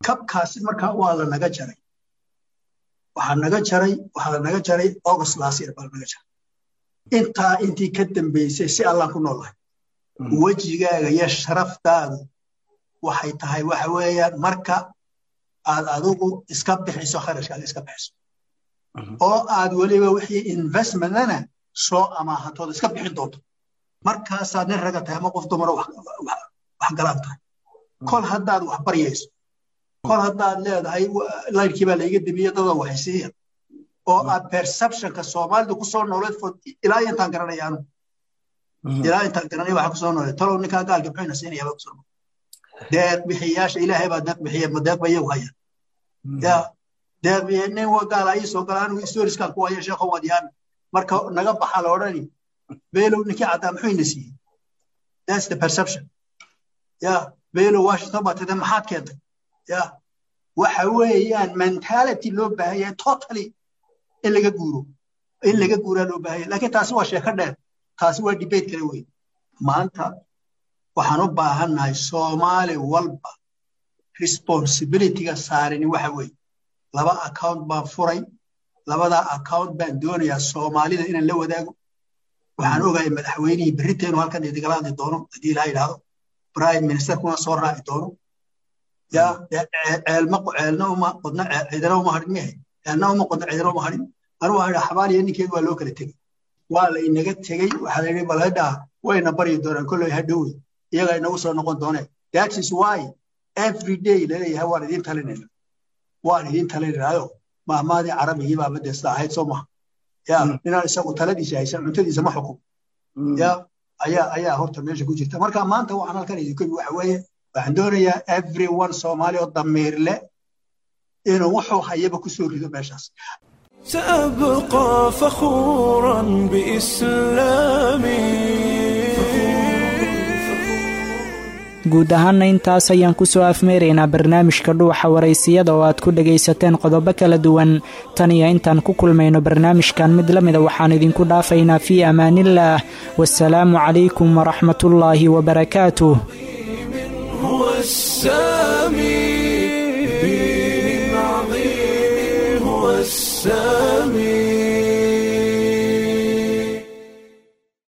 kabkaasi. Marka waa la naga jaray, waxaa naga jaray, waxaa la naga jaray August last year baa la naga jaray. Intaa intii ka dambeysay si Allaan ku noolahay. Wejigaaga iyo sharaftaadu waxay tahay waxa weeyaan marka aad adigu iska bixiso kharashkaaga, iska bixiso oo aad weliba wixii investmentana soo amaahatood iska bixin doonto, markaasaad nin raga tahay ama qof dumaro wax galaan tahay. Kol haddaad wax baryayso, kol haddaad leedahay layrkii baa layga dimiye, dadoo waxaysiiya, oo aad perceptionka Soomaalidu ku soo nooleed for ilaa intaan garanaya, anu ilaa intaan garanaya waxaa kusoo nooleed, talow ninkaa gaalka muxuu siinaya baa kusoo nooleed. Deeq bixiyaasha Ilaahay baa deeq bixiya, ma deeq ba iyagu haya ya deeq bixiya? Nin wa gaala ii soo gala, anigu storieskan ku haya, sheekho waad yaabi. Marka naga baxa la odhani, "Beelow, ninkii caddaa muxuu ina siiyey?" That's the perception. Ya Beelow, Washington baa tida, maxaad keentay? Ya waxa weeyaan mentality loo baahan yahay totally in laga guuro, in laga guuraa loo baahan yahay. Laakiin taasi waa sheeko dheer, taasi waa debate kale wey. Maanta waxaan u baahannahay Soomaali walba responsibilityga saarani waxa weeye, laba account baan furay. Labadaa account baan doonayaa Soomaalida inaan la wadaago. Waxaan ogahay madaxweynihii berrita inuu halkan idigala hadli doono haddii Ilaha yidhaahdo, prime ministerkuna soo raaci doono. Ya ceelma ceelna uma qodna, ciidana uma hadhin miyahay? Ceelna uma qodna, ciidana uma hadhin. Anigu waxaan idhaa xabaaliya ninkeedu waa loo kala tegey, waa la inaga tegey. Waxaa la yidhi balhadhaa wayna baryi doonaan kolley, hadhowey iyagaa inagu soo noqon doonee. That is why every day laleeyahay waan idiin talinayna, waan idiin talinaynaayo. Mahmaadii carabigii baa madesta ahayd, soo maha? Ya ninaan isagu taladiisa haysan cuntadiisa ma xukum ya ayaa horta meesha ku jirta. Marka maanta waxaan halkan idinku imi waxa weeye, waxaan doonayaa everyone Soomaali oo damiir leh inuu wuxuu hayaba ku soo rido meeshaas. سأبقى فخورا بإسلامي. Guud ahaana intaas ayaan kusoo afmeeraynaa barnaamijka Dhuuxa Waraysiyada oo aad ku dhagaysateen qodobo kala duwan. Tan iyo intaan ku kulmayno barnaamijkan mid la mida, waxaan idinku dhaafaynaa fii amaanillaah, wasalaamu calaykum waraxmatullaahi wabarakaatuh. هو السامي، دين عظيم هو السامي.